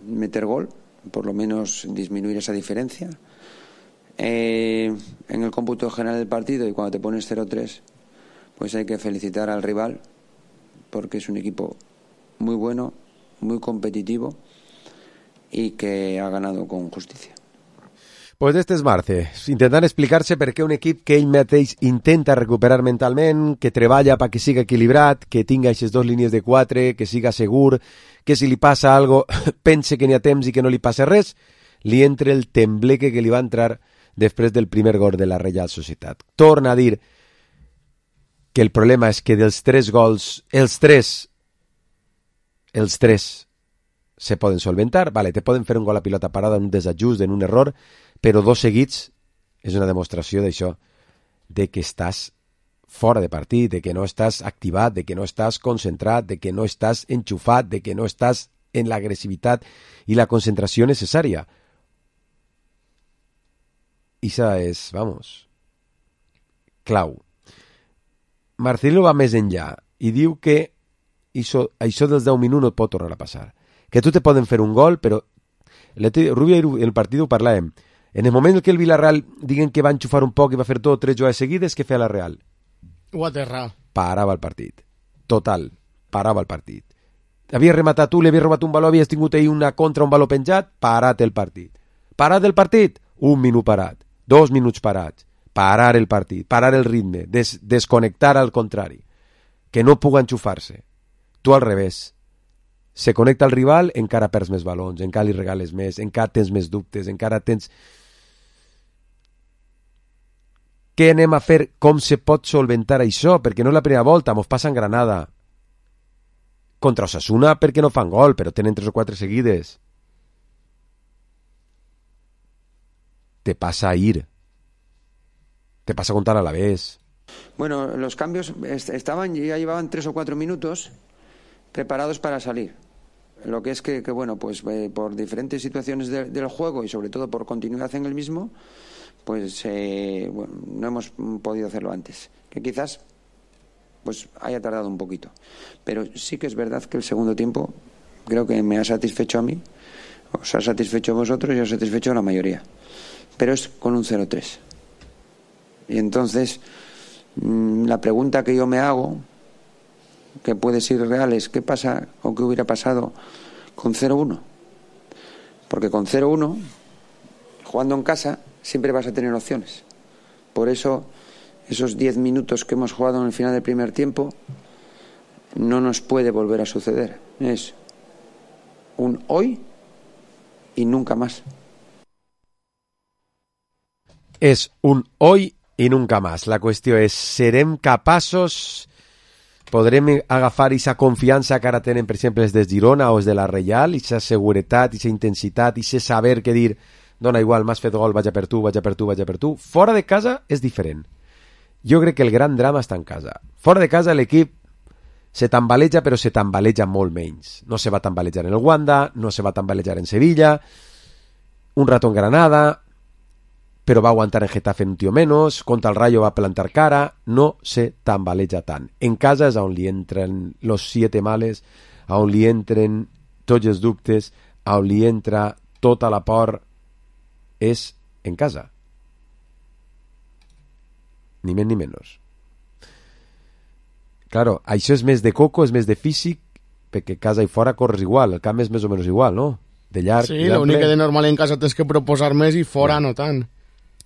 meter gol, por lo menos disminuir esa diferencia. En el cómputo general del partido, y cuando te pones 0-3, pues hay que felicitar al rival, porque es un equipo muy bueno, muy competitivo y que ha ganado con justicia. Pues este és Marce, intentant explicar-se per què un equip que ell mateix intenta recuperar mentalment, que treballa perquè siga equilibrat, que tinga aquestes 2 línies de 4, que siga segur, que si li passa algo pense que n'hi ha temps i que no li passa res, li entra el tembleque que li va entrar després del primer gol de la Reial Societat. Torna a dir que el problema és que dels 3 gols, els tres se poden solventar, vale, te poden fer un gol a pilota parada, un desajust, en un error, però 2 seguits és una demostració d'això, de que estàs fora de partit, de que no estàs activat, de que no estàs concentrat, de que no estàs enxufat, de que no estàs en l'agressivitat i la concentració necessària. Ixa és, clau. Marcelino va més enllà i diu que això dels 10 minuts no et pot tornar a passar. Que tu te poden fer un gol, però Rubio en el partit ho parlàvem. En el moment en què el Villarreal diguen que va enxufar un poc i va fer 2 o 3 jugades seguides, què feia la Real? Ho aterrar. Parava el partit. Total, parava el partit. Havies rematat tu, li havies robat un baló, havies tingut ahir una contra, un baló penjat, parat el partit. Parat el partit? 1 minut parat. 2 minuts parats. Parar el partit, parar el ritme, desconnectar al contrari. Que no puga enxufar-se. Tu al revés. Se connecta al rival, encara perds més balons, encara li regales més, encara tens més dubtes, encara tens... Què anem a fer? Com se pot solventar això? Perquè no és la primera volta, mos passa en Granada. Contra Osasuna perquè no fan gol, però tenen 3 o 4 seguides. Te passa a ir. Te pasa contar a la vez. Bueno, los cambios ya llevaban 3 o 4 minutos preparados para salir. Lo que es que pues por diferentes situaciones del juego y sobre todo por continuidad en el mismo, pues no hemos podido hacerlo antes. Que quizás pues haya tardado un poquito. Pero sí que es verdad que el segundo tiempo creo que me ha satisfecho a mí, os ha satisfecho a vosotros y os ha satisfecho a la mayoría. Pero es con un 0-3. Y entonces, la pregunta que yo me hago, que puede ser real, es ¿qué pasa o qué hubiera pasado con 0-1? Porque con 0-1, jugando en casa, siempre vas a tener opciones. Por eso, esos 10 minutos que hemos jugado en el final del primer tiempo, no nos puede volver a suceder. Es un hoy y nunca más. És un hoy i nunca más. La qüestió és, serem capaços, podrem agafar aquesta confiança que ara tenen, per exemple, els de Girona o els de la Reial, aquesta seguretat, aquesta intensitat, aquest saber que dir, dona igual, m'has fet gol, vaig a per tu, vaig a per tu, vaig a per tu. Fora de casa és diferent. Jo crec que el gran drama està en casa. Fora de casa l'equip se tambaleja, però se tambaleja molt menys. No se va tambalejar en el Wanda, no se va tambalejar en Sevilla, un rato en Granada, però va aguantar en Getafe un tio menos, contra el Rayo va plantar cara, no se tambaleja tant. En casa és on li entren los 7 males, on li entren tots els dubtes, on li entra tota la por, és en casa. Ni més ni menys. Claro, això és més de coco, és més de físic, perquè casa i fora corres igual, el camp és més o menys igual, no? De llarg, sí, l'únic que de normal en casa tens que proposar més i fora no tant.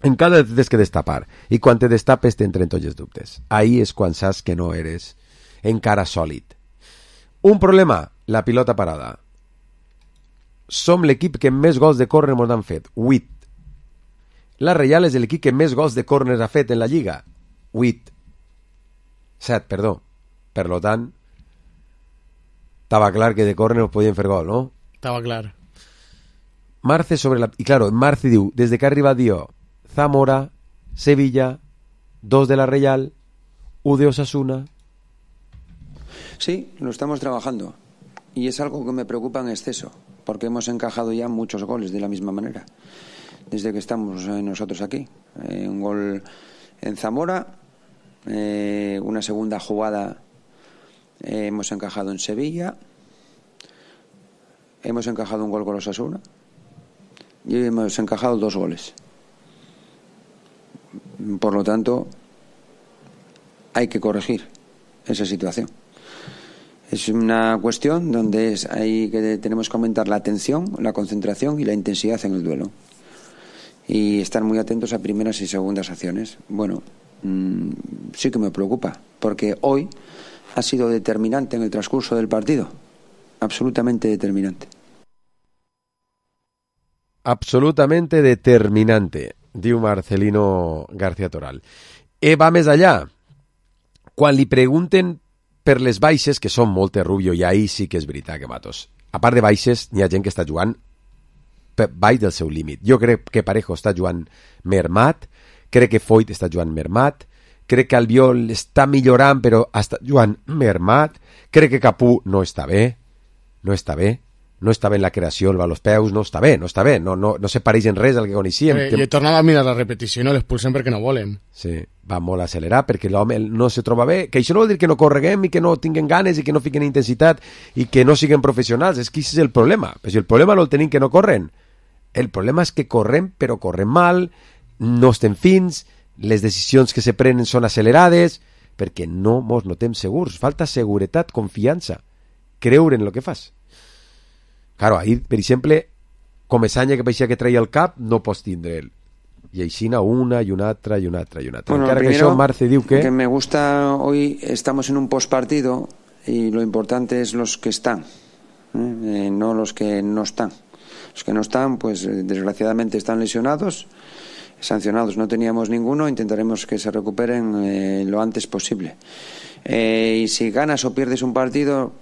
En casa tens que destapar, i quan te destapes t'entren tots els dubtes. Ahí és quan saps que no eres encara sòlid. Un problema, la pilota parada. som l'equip que més gols de córner ens han fet, 8. La Reial és l'equip que més gols de córner ha fet en la Lliga, 8. 7, perdó. Per lo tant, estava clar que de córner podien fer gol, no? Estava clar. Marce sobre la... Y claro, Marce diu, desde que arriba dio Zamora, Sevilla, 2 de la Real, 1 de Osasuna. Sí, lo estamos trabajando. Y es algo que me preocupa en exceso, porque hemos encajado ya muchos goles de la misma manera, desde que estamos nosotros aquí. Un gol en Zamora, una segunda jugada hemos encajado en Sevilla, hemos encajado un gol con Osasuna y hemos encajado 2 goles. Por lo tanto, hay que corregir esa situación. Es una cuestión donde tenemos que aumentar la atención, la concentración y la intensidad en el duelo. Y estar muy atentos a primeras y segundas acciones. Bueno, sí que me preocupa, porque hoy ha sido determinante en el transcurso del partido. Absolutamente determinante. Absolutamente determinante, diu Marcelino García Toral. Va més allà. Quan li pregunten per les baixes, que són moltes, Rubio, i ahí sí que és veritat que matos. A part de baixes, n'hi ha gent que està jugant baix del seu límit. Jo crec que Parejo està jugant mermat, crec que Foyt està jugant mermat, crec que Albiol està millorant però està jugant mermat, crec que Capú no està bé en la creació, el va als peus, no està bé, no se pareix en res al que coneixíem. I he tornat a mirar la repetició i no l'expulsen perquè no volen. Sí, va molt accelerat perquè l'home no se troba bé, que això no vol dir que no correguem i que no tinguem ganes i que no fiquen intensitat i que no siguin professionals, és que aquest és el problema. Però si el problema no el tenim que no corren, el problema és que correm però correm mal, no estem fins, les decisions que se prenen són accelerades, perquè no mos notem segurs, falta seguretat, confiança, creure en el que fas. Claro, ahir, per exemple, com Esanya que paixia que traia el cap, no pots tindre'l. I aixina una y una altra. Bueno, encara primero, que això Marce diu que me gusta, hoy estamos en un postpartido y lo importante es los que están, no los que no están. Los que no están, pues desgraciadamente están lesionados, sancionados no teníamos ninguno, intentaremos que se recuperen lo antes posible. Y si ganas o pierdes un partido,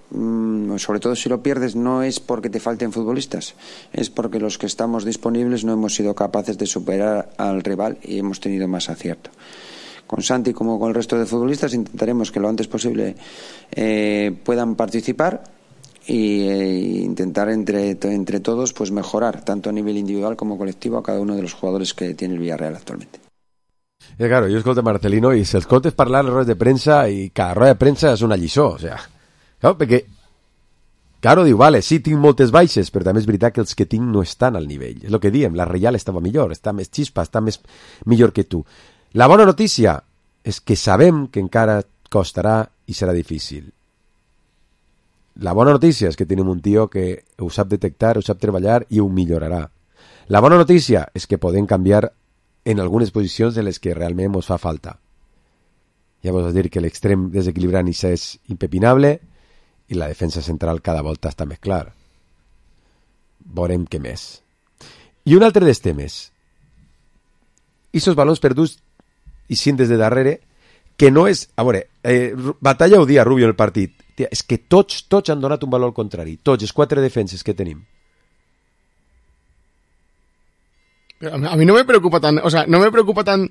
sobre todo si lo pierdes, no es porque te falten futbolistas, es porque los que estamos disponibles no hemos sido capaces de superar al rival y hemos tenido más acierto. Con Santi como con el resto de futbolistas intentaremos que lo antes posible puedan participar y intentar entre todos pues mejorar tanto a nivel individual como colectivo a cada uno de los jugadores que tiene el Villarreal actualmente. Claro, jo escolto Marcelino i si escoltes parlar a les rodes de premsa i cada roda de premsa és una lliçó, o sea, claro, perquè claro, diu, vale, sí, tinc moltes baixes, però també és veritat que els que tinc no estan al nivell, és el que diem, la Reial estava millor, està més xispa, està més millor que tu. La bona notícia és que sabem que encara costarà i serà difícil. La bona notícia és que tenim un tio que ho sap detectar, ho sap treballar i ho millorarà. La bona notícia és que podem canviar en algunes posicions de les que realment ens fa falta. Ja vos dir que l'extrem desequilibrant és impepinable i la defensa central cada volta està més clar. Veurem què més. I un altre dels temes. Ixos balons perduts i cintes de darrere, que no és... A veure, batalla ho dia Rubio en el partit. Tia, és que tots han donat un valor al contrari. Tots, els 4 defenses que tenim. A mi no me preocupa tant, o sea, no me preocupa tant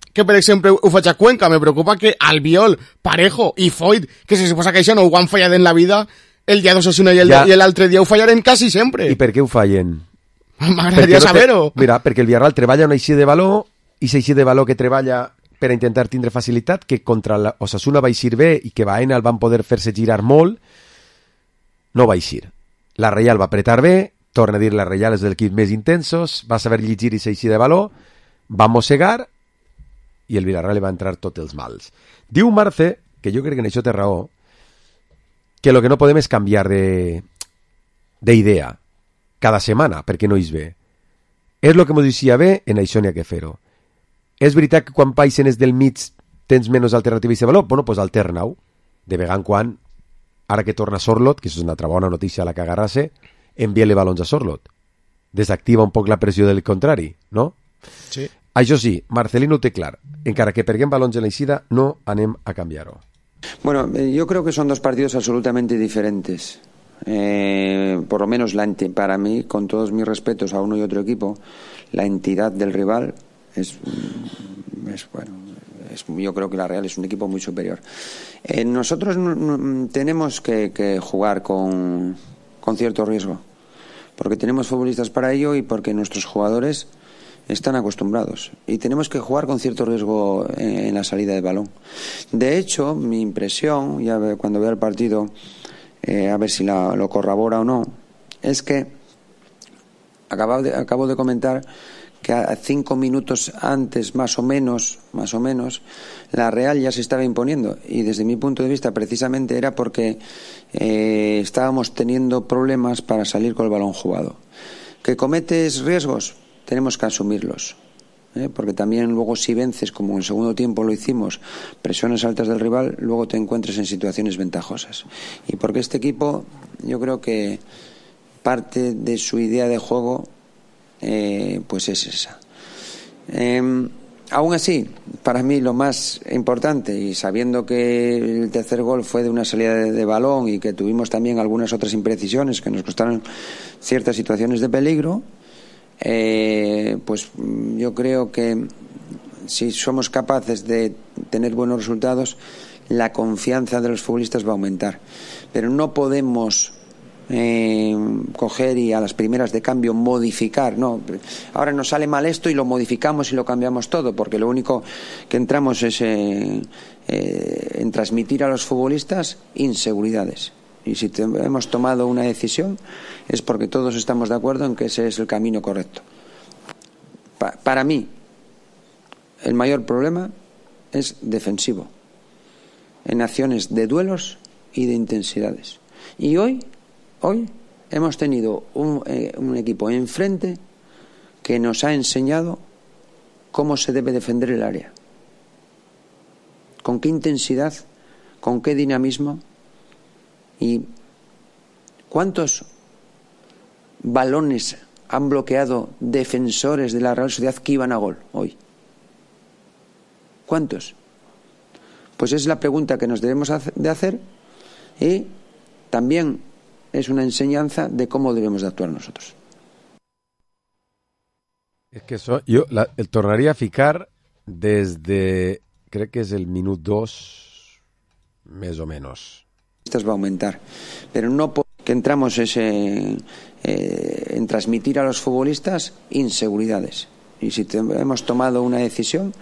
que, per exemple, ho faig a Cuenca, me preocupa que Albiol, Parejo i Foyt, que se suposa que això no ho han fallat en la vida, el dia d'Osasuna i l'altre dia ho fallaren quasi sempre. I per què ho fallen? M'agradaria saber-ho. Mira, perquè el Villarreal treballa una eixida de valor, i eixida de valor que treballa per a intentar tindre facilitat, que contra l'Osasuna va eixir bé i que Baena el van poder fer-se girar molt, no va eixir. La Reial va apretar bé, torna a dir, la Reial és dels equips més intensos, va saber llegir i s'eixir de valor, va mossegar i el Villarreal li va entrar tots els mals. Diu Marce, que jo crec que en això té raó, que el que no podem és canviar d'idea cada setmana, perquè no és bé. És el que ens deixia bé, en això n'hi ha que fer-ho. És veritat que quan paixen és del mig tens menys alternatives de valor? Bueno, doncs alterna-ho. De vegada en quan, ara que torna Sorlot, que això és una altra bona notícia a la que agarrar-se, envia-li balons a Sorloth. Desactiva un poc la pressió del contrari, no? Sí. Això sí, Marcelino ho té clar. Encara que perguem balons en l'eixida, no anem a canviar-ho. Bueno, yo creo que son dos partidos absolutamente diferentes. Por lo menos para mí, con todos mis respetos a uno y otro equipo, la entidad del rival yo creo que la Real es un equipo muy superior. Nosotros tenemos que jugar con cierto riesgo, porque tenemos futbolistas para ello y porque nuestros jugadores están acostumbrados, y tenemos que jugar con cierto riesgo en la salida de balón. De hecho, mi impresión, ya cuando vea el partido, a ver si lo corrobora o no, es que acabo de comentar que a 5 minutos antes, más o menos, la Real ya se estaba imponiendo, y desde mi punto de vista precisamente era porque estábamos teniendo problemas para salir con el balón jugado. ¿Que cometes riesgos? Tenemos que asumirlos, porque también luego si vences, como en el segundo tiempo lo hicimos, presiones altas del rival, luego te encuentres en situaciones ventajosas. Y porque este equipo, yo creo que parte de su idea de juego pues es esa. Aún así, para mí lo más importante, y sabiendo que el tercer gol fue de una salida de balón y que tuvimos también algunas otras imprecisiones que nos costaron ciertas situaciones de peligro, pues yo creo que si somos capaces de tener buenos resultados, la confianza de los futbolistas va a aumentar. Pero no podemos coger y a las primeras de cambio modificar, no, ahora nos sale mal esto y lo modificamos y lo cambiamos todo, porque lo único que entramos es en transmitir a los futbolistas inseguridades. Y si hemos tomado una decisión es porque todos estamos de acuerdo en que ese es el camino correcto. Para mí, el mayor problema es defensivo, en acciones de duelos y de intensidades. Y hoy hemos tenido un equipo enfrente que nos ha enseñado cómo se debe defender el área, con qué intensidad, con qué dinamismo. ¿Y cuántos balones han bloqueado defensores de la Real Sociedad que iban a gol hoy? ¿Cuántos? Pues es la pregunta que nos debemos de hacer, y también es una enseñanza de cómo debemos de actuar nosotros. Es que yo el tornaría a ficar desde, creo que es el minuto 2, más o menos. Va a aumentar, pero no que entramos en transmitir a los futbolistas inseguridades. Y si hemos tomado una decisión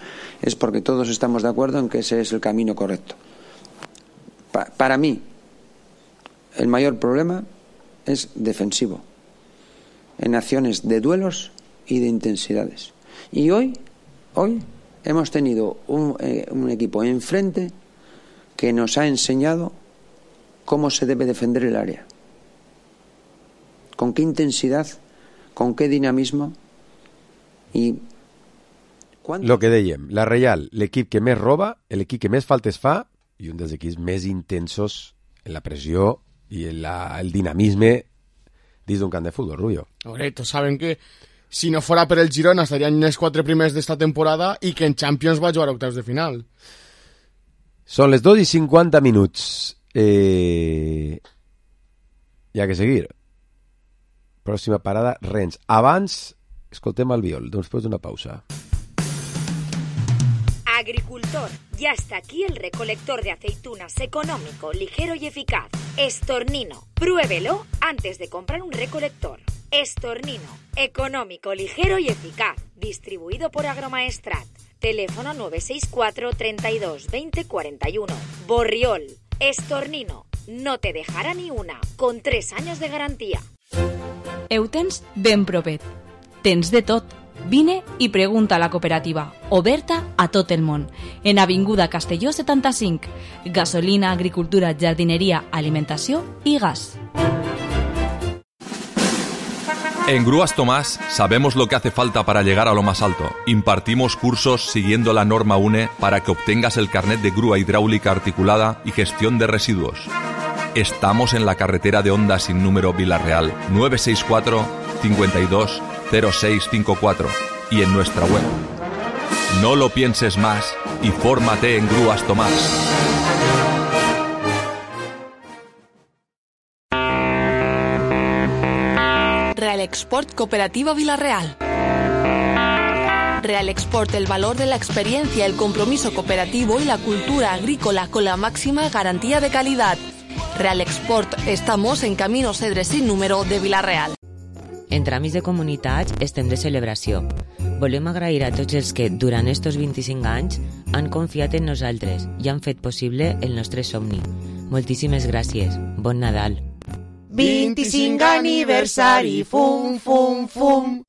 es porque todos estamos de acuerdo en que ese es el camino correcto. Para mí, el mayor problema es defensivo, en acciones de duelos y de intensidades. Y hoy hemos tenido un equipo enfrente que nos ha enseñado cómo se debe defender el área, con qué intensidad, con qué dinamismo. I lo que dèiem, la Real, l'equip que més roba, l'equip que més faltes fa i un dels equips més intensos en la pressió i en el dinamisme dins d'un camp de futbol, Rubio. Correcto, saben que si no fuera per el Girona estarían en els 4 primers d'esta temporada i que en Champions va jugar a octaus de final. Són les 2:50 minuts. Hi ha que seguir. Pròxima parada, Rennes. Abans, escoltem Albiol, després d'una pausa. Agricultor, ya está aquí el recolector de aceitunas económico, ligero y eficaz. Estornino, pruébelo antes de comprar un recolector. Estornino, económico, ligero y eficaz. Distribuido por Agromaestrat. Teléfono 964 32 20 41. Borriol, Estornino, no te dejará ni una, con 3 años de garantía. Ho tens ben propet. Tens de tot. Vine i pregunta a la cooperativa, oberta a tot el món. En Avinguda Castelló 75. Gasolina, agricultura, jardineria, alimentació i gas. En Grúas Tomás sabemos lo que hace falta para llegar a lo más alto. Impartimos cursos siguiendo la norma UNE para que obtengas el carnet de grúa hidráulica articulada y gestión de residuos. Estamos en la carretera de Onda sin número Vila-real, 964 52 0654 y en nuestra web. No lo pienses más y fórmate en Grúas Tomás. Real Export Cooperativa Vila-real. Real Export, el valor de la experiencia, el compromiso cooperativo y la cultura agrícola con la máxima garantía de calidad. Real Export, estamos en Camino Cedre sin número de Vila-real. En Tràmits de Comunitats estem de celebració. Volem agrair a tots els que, durant estos 25 anys, han confiat en nosaltres i han fet possible el nostre somni. Moltíssimes gràcies. Bon Nadal. 25 aniversari, fum, fum, fum.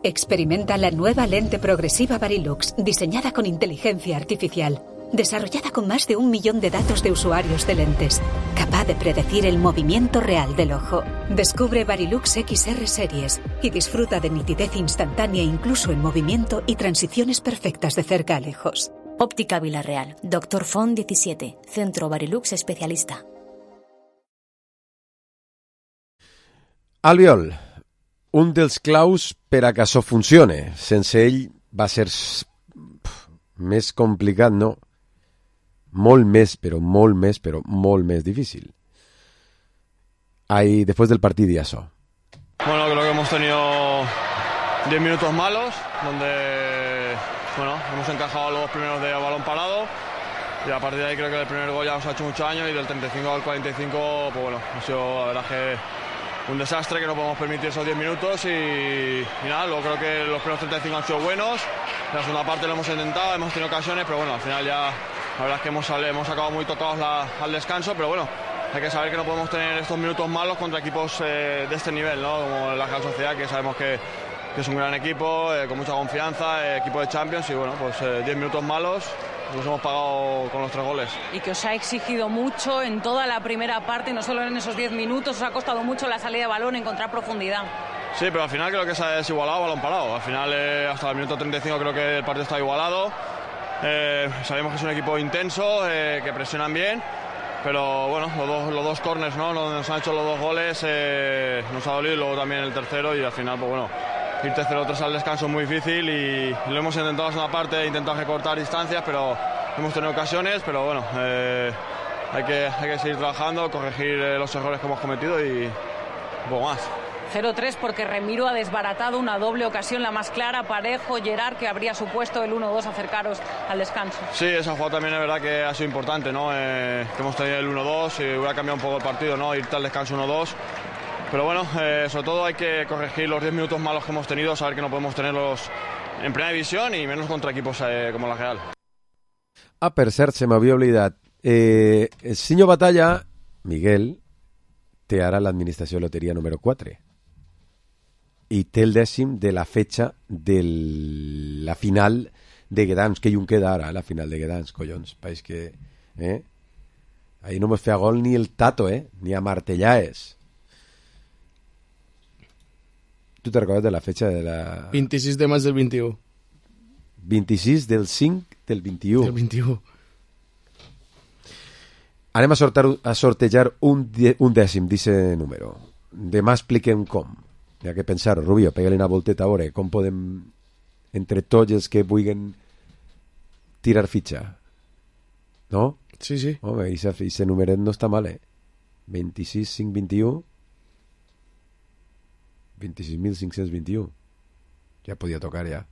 Experimenta la nueva lente progresiva Varilux, diseñada con inteligencia artificial, desarrollada con más de 1 millón de datos de usuarios de lentes, capaz de predecir el movimiento real del ojo. Descubre Varilux XR Series y disfruta de nitidez instantánea incluso en movimiento y transiciones perfectas de cerca a lejos. Óptica Vila-real, Dr. Font 17, Centro Varilux Especialista. Albiol, un dels claus per a que això funcione. Sense ell va ser més complicat, no? Molt més, però molt més difícil. Ahí, después del partido y eso. Bueno, creo que hemos tenido 10 minutos malos, donde hemos encajado los primeros de balón parado. Y a partir de ahí creo que el primer gol ya nos ha hecho mucho daño y del 35 al 45, pues bueno, ha sido la verdad que un desastre, que no podemos permitir esos 10 minutos y nada, luego creo que los primeros 35 han sido buenos. En la segunda parte lo hemos intentado, hemos tenido ocasiones, pero bueno, al final ya la verdad es que hemos acabado muy tocados al descanso, pero bueno, hay que saber que no podemos tener estos minutos malos contra equipos de este nivel, ¿no? Como la Real Sociedad, que sabemos que es un gran equipo, con mucha confianza, equipo de Champions, y bueno, pues 10 minutos malos los hemos pagado con los 3 goles. Y que os ha exigido mucho en toda la primera parte, no solo en esos 10 minutos, os ha costado mucho la salida de balón, encontrar profundidad. Sí, pero al final creo que se ha desigualado balón parado. Al final, hasta el minuto 35 creo que el partido está igualado. Sabemos que es un equipo intenso, que presionan bien, pero bueno, los dos corners, ¿no? Nos han hecho los 2 goles, nos ha dolido, luego también el tercero, y al final, pues bueno, irte 0-3 al descanso es muy difícil y lo hemos intentado en una parte, intentado recortar distancias, pero hemos tenido ocasiones, pero bueno, hay que seguir trabajando, corregir los errores que hemos cometido y un poco más. 0-3 porque Remiro ha desbaratado una doble ocasión, la más clara, Parejo, Gerard, que habría supuesto el 1-2 acercaros al descanso. Sí, esa jugada también es verdad que ha sido importante, ¿no? Que hemos tenido el 1-2 y hubiera cambiado un poco el partido, ¿no? Irte al descanso 1-2. Pero bueno, sobre todo hay que corregir los 10 minutos malos que hemos tenido, saber que no podemos tenerlos en primera división y menos contra equipos como la Real. Ah, per cert, se m'havia oblidat. El senyor Batalla, Miguel, té ara l'administració de loteria número 4 i té el 10º de la fetxa de la final de Gdansk, que hi un queda ara, la final de Gdansk, collons, país que... Ahí no mos feia gol ni el Tato, ni a martellaes. ¿Tú te recordes de la fecha de la...? 26 de maig del 21. 26 del 5 del 21. Del 21. Anem a sortejar un 10º d'ese número. Demà expliquem com. Hi ha que pensar, Rubio, pega-li una volteta a veure com podem, entre tots els que vulguin tirar fitxa. No? Sí, sí. Home, ese numeret no està mal, 26, 5, 21... 26.521. Ja podia tocar, ja.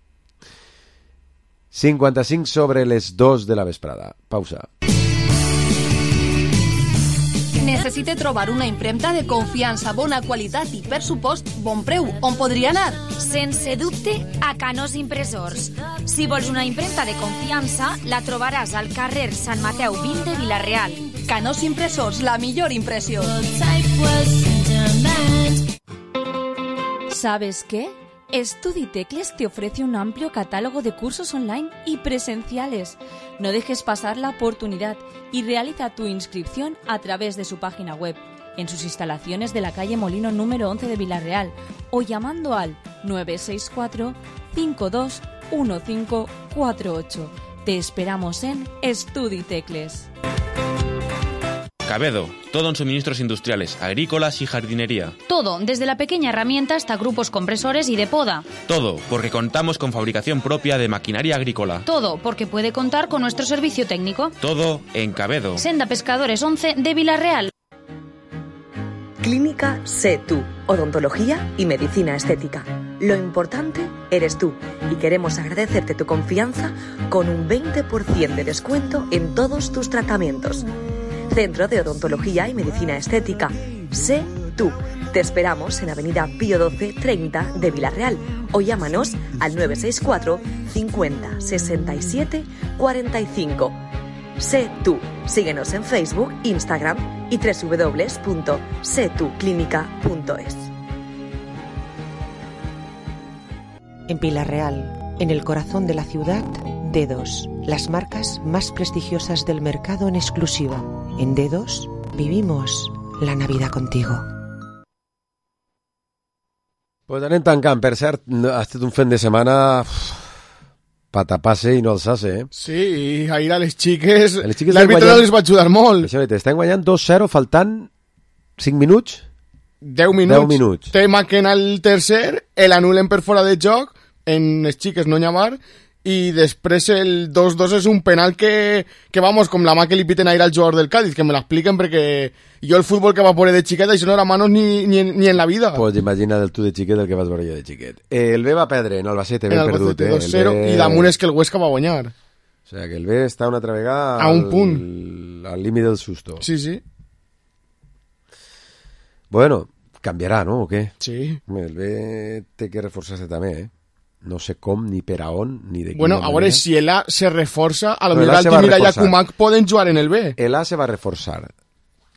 55 sobre les 2 de la vesprada. Pausa. Necessite trobar una impremta de confiança, bona qualitat i, per supost, bon preu. On podria anar? Sense dubte, a Canós Impressors. Si vols una impremta de confiança, la trobaràs al carrer Sant Mateu 20 de Vila-real. Canós Impressors, la millor impressió. ¿Sabes qué? StudiTecles te ofrece un amplio catálogo de cursos online y presenciales. No dejes pasar la oportunidad y realiza tu inscripción a través de su página web, en sus instalaciones de la calle Molino número 11 de Vila-real o llamando al 964 521548. Te esperamos en StudiTecles. Cabedo, todo en suministros industriales, agrícolas y jardinería. Todo, desde la pequeña herramienta hasta grupos compresores y de poda. Todo, porque contamos con fabricación propia de maquinaria agrícola. Todo, porque puede contar con nuestro servicio técnico. Todo en Cabedo. Senda Pescadores 11 de Vilarreal. Clínica Sé Tú, odontología y medicina estética. Lo importante eres tú y queremos agradecerte tu confianza con un 20% de descuento en todos tus tratamientos. Centro de Odontología y Medicina Estética. Sé Tú. Te esperamos en Avenida Pío 12 30 de Vilarreal o llámanos al 964 50 67 45. Sé Tú. Síguenos en Facebook, Instagram y www.setuclinica.es. En Pilar Real, en el corazón de la ciudad, Dedos, las marcas más prestigiosas del mercado en exclusiva. En Dedos vivimos la Navidad contigo. Pues anem tancant. Per cert, ha estat un fin de setmana patapase i no alçasse, eh? Sí, ahir a les xiques l'àrbitre no les va ajudar molt. Estan guanyant 2-0 faltant 5 minuts? 10 minuts. Té Maquena el tercer, l'anulen per fora de joc, en les xiques no n'hi ha bar, i després el 2-2 és un penal que vamos, com la mà que li piten ahir al jugador del Cádiz, que me l'expliquen perquè jo el futbol que va veure de xiquet, això no era manos ni en la vida. Pues imagina't tu de xiquet el que vas veure jo de xiquet. El B va perdre en Albacete, ben perdut. 2-0, i damunt és que el Huesca va guanyar. O sea, que el B està una altra vegada a un punt. Al límit del susto. Sí. Bueno, canviarà, no? O què? Sí. El B té que reforçar-se també, eh? No sé com, ni per a on, ni de quina manera. Bueno, a veure, si el A se reforça, a lo millor Altimira i Akumak poden jugar en el B. El A se va reforçar.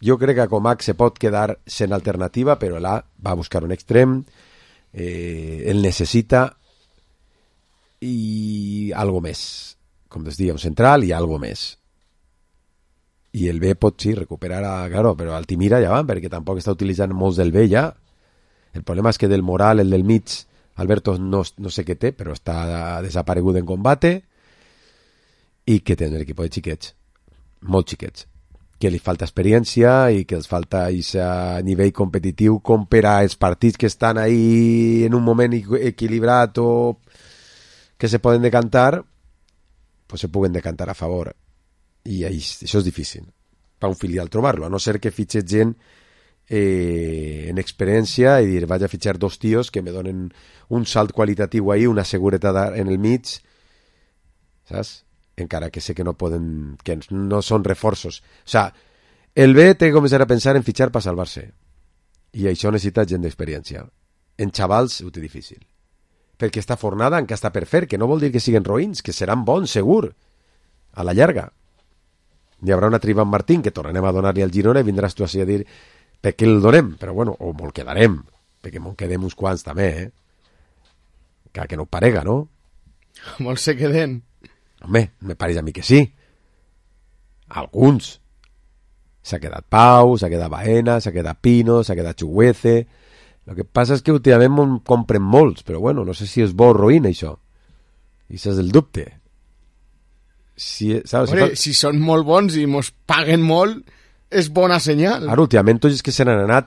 Jo crec que Akumak se pot quedar sent alternativa, però el A va a buscar un extrem, el necessita i algo més. Com es diu, un central i algo més. I el B pot, sí, recuperar claro, però Altimira ja van, perquè tampoc està utilitzant molts del B ja. El problema és que del Moral, el del mig, Alberto no sé què té, però està desaparegut en combate i que té un equip de xiquets, molt xiquets, que li falta experiència i que els falta a nivell competitiu com per a els partits que estan ahí en un moment equilibrat o que se poden decantar, pues se puguen decantar a favor. I això és difícil per un filial trobar-lo, a no ser que fitxes gent en experiència i dir, vaig a fitxar 2 tios que me donen un salt qualitatiu ahí, una seguretat en el mig, saps? Encara que sé que no poden, que no són reforços. O sea, el B té que començar a pensar en fitxar per salvar-se i això necessita gent d'experiència. En xavals ho té difícil, perquè esta fornada encara està per fer, que no vol dir que siguen roïns, que seran bons, segur, a la llarga. Hi haurà una triba en Martín que tornarem a donar-li al Girona i vindràs tu així a dir per què el donem, però bueno, o me'l quedarem, perquè me'l quedem uns quants també, que no parega, no? Molts se queden. Home, me pareix a mi que sí. Alguns. S'ha quedat Pau, s'ha quedat Baena, s'ha quedat Pino, s'ha quedat Chuguece. El que passa és que últimament compren molts, però bueno, no sé si és bo o roïn, això. I això és el dubte. Si són molt bons i mos paguen molt, és bona senyal. Ara, últimament, tots els que se n'han anat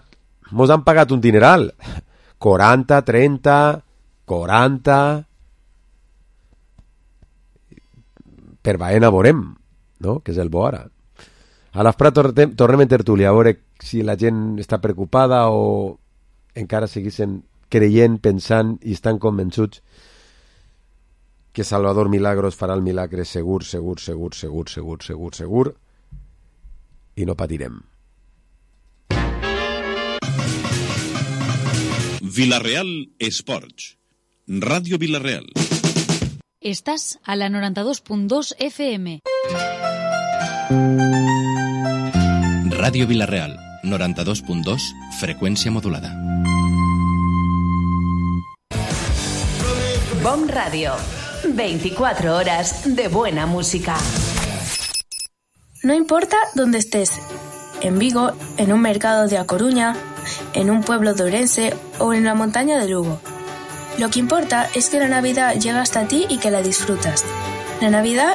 mos han pagat un dineral. 40, 30, 40... Per Baena veurem, no? Que és el bo ara. A l'Afprat tornem en tertúlia, a veure si la gent està preocupada o encara seguissin creient, pensant i estan convençuts que Salvador Milagros farà el milagre segur i no patirem. Vilarreal Esports, Ràdio Vilarreal. Estás a la 92.2 FM. Ràdio Vilarreal, 92.2, freqüència modulada. BOM Radio, 24 horas de buena música. No importa dónde estés, en Vigo, en un mercado de A Coruña, en un pueblo de Ourense o en la montaña de Lugo. Lo que importa es que la Navidad llega hasta ti y que la disfrutas. La Navidad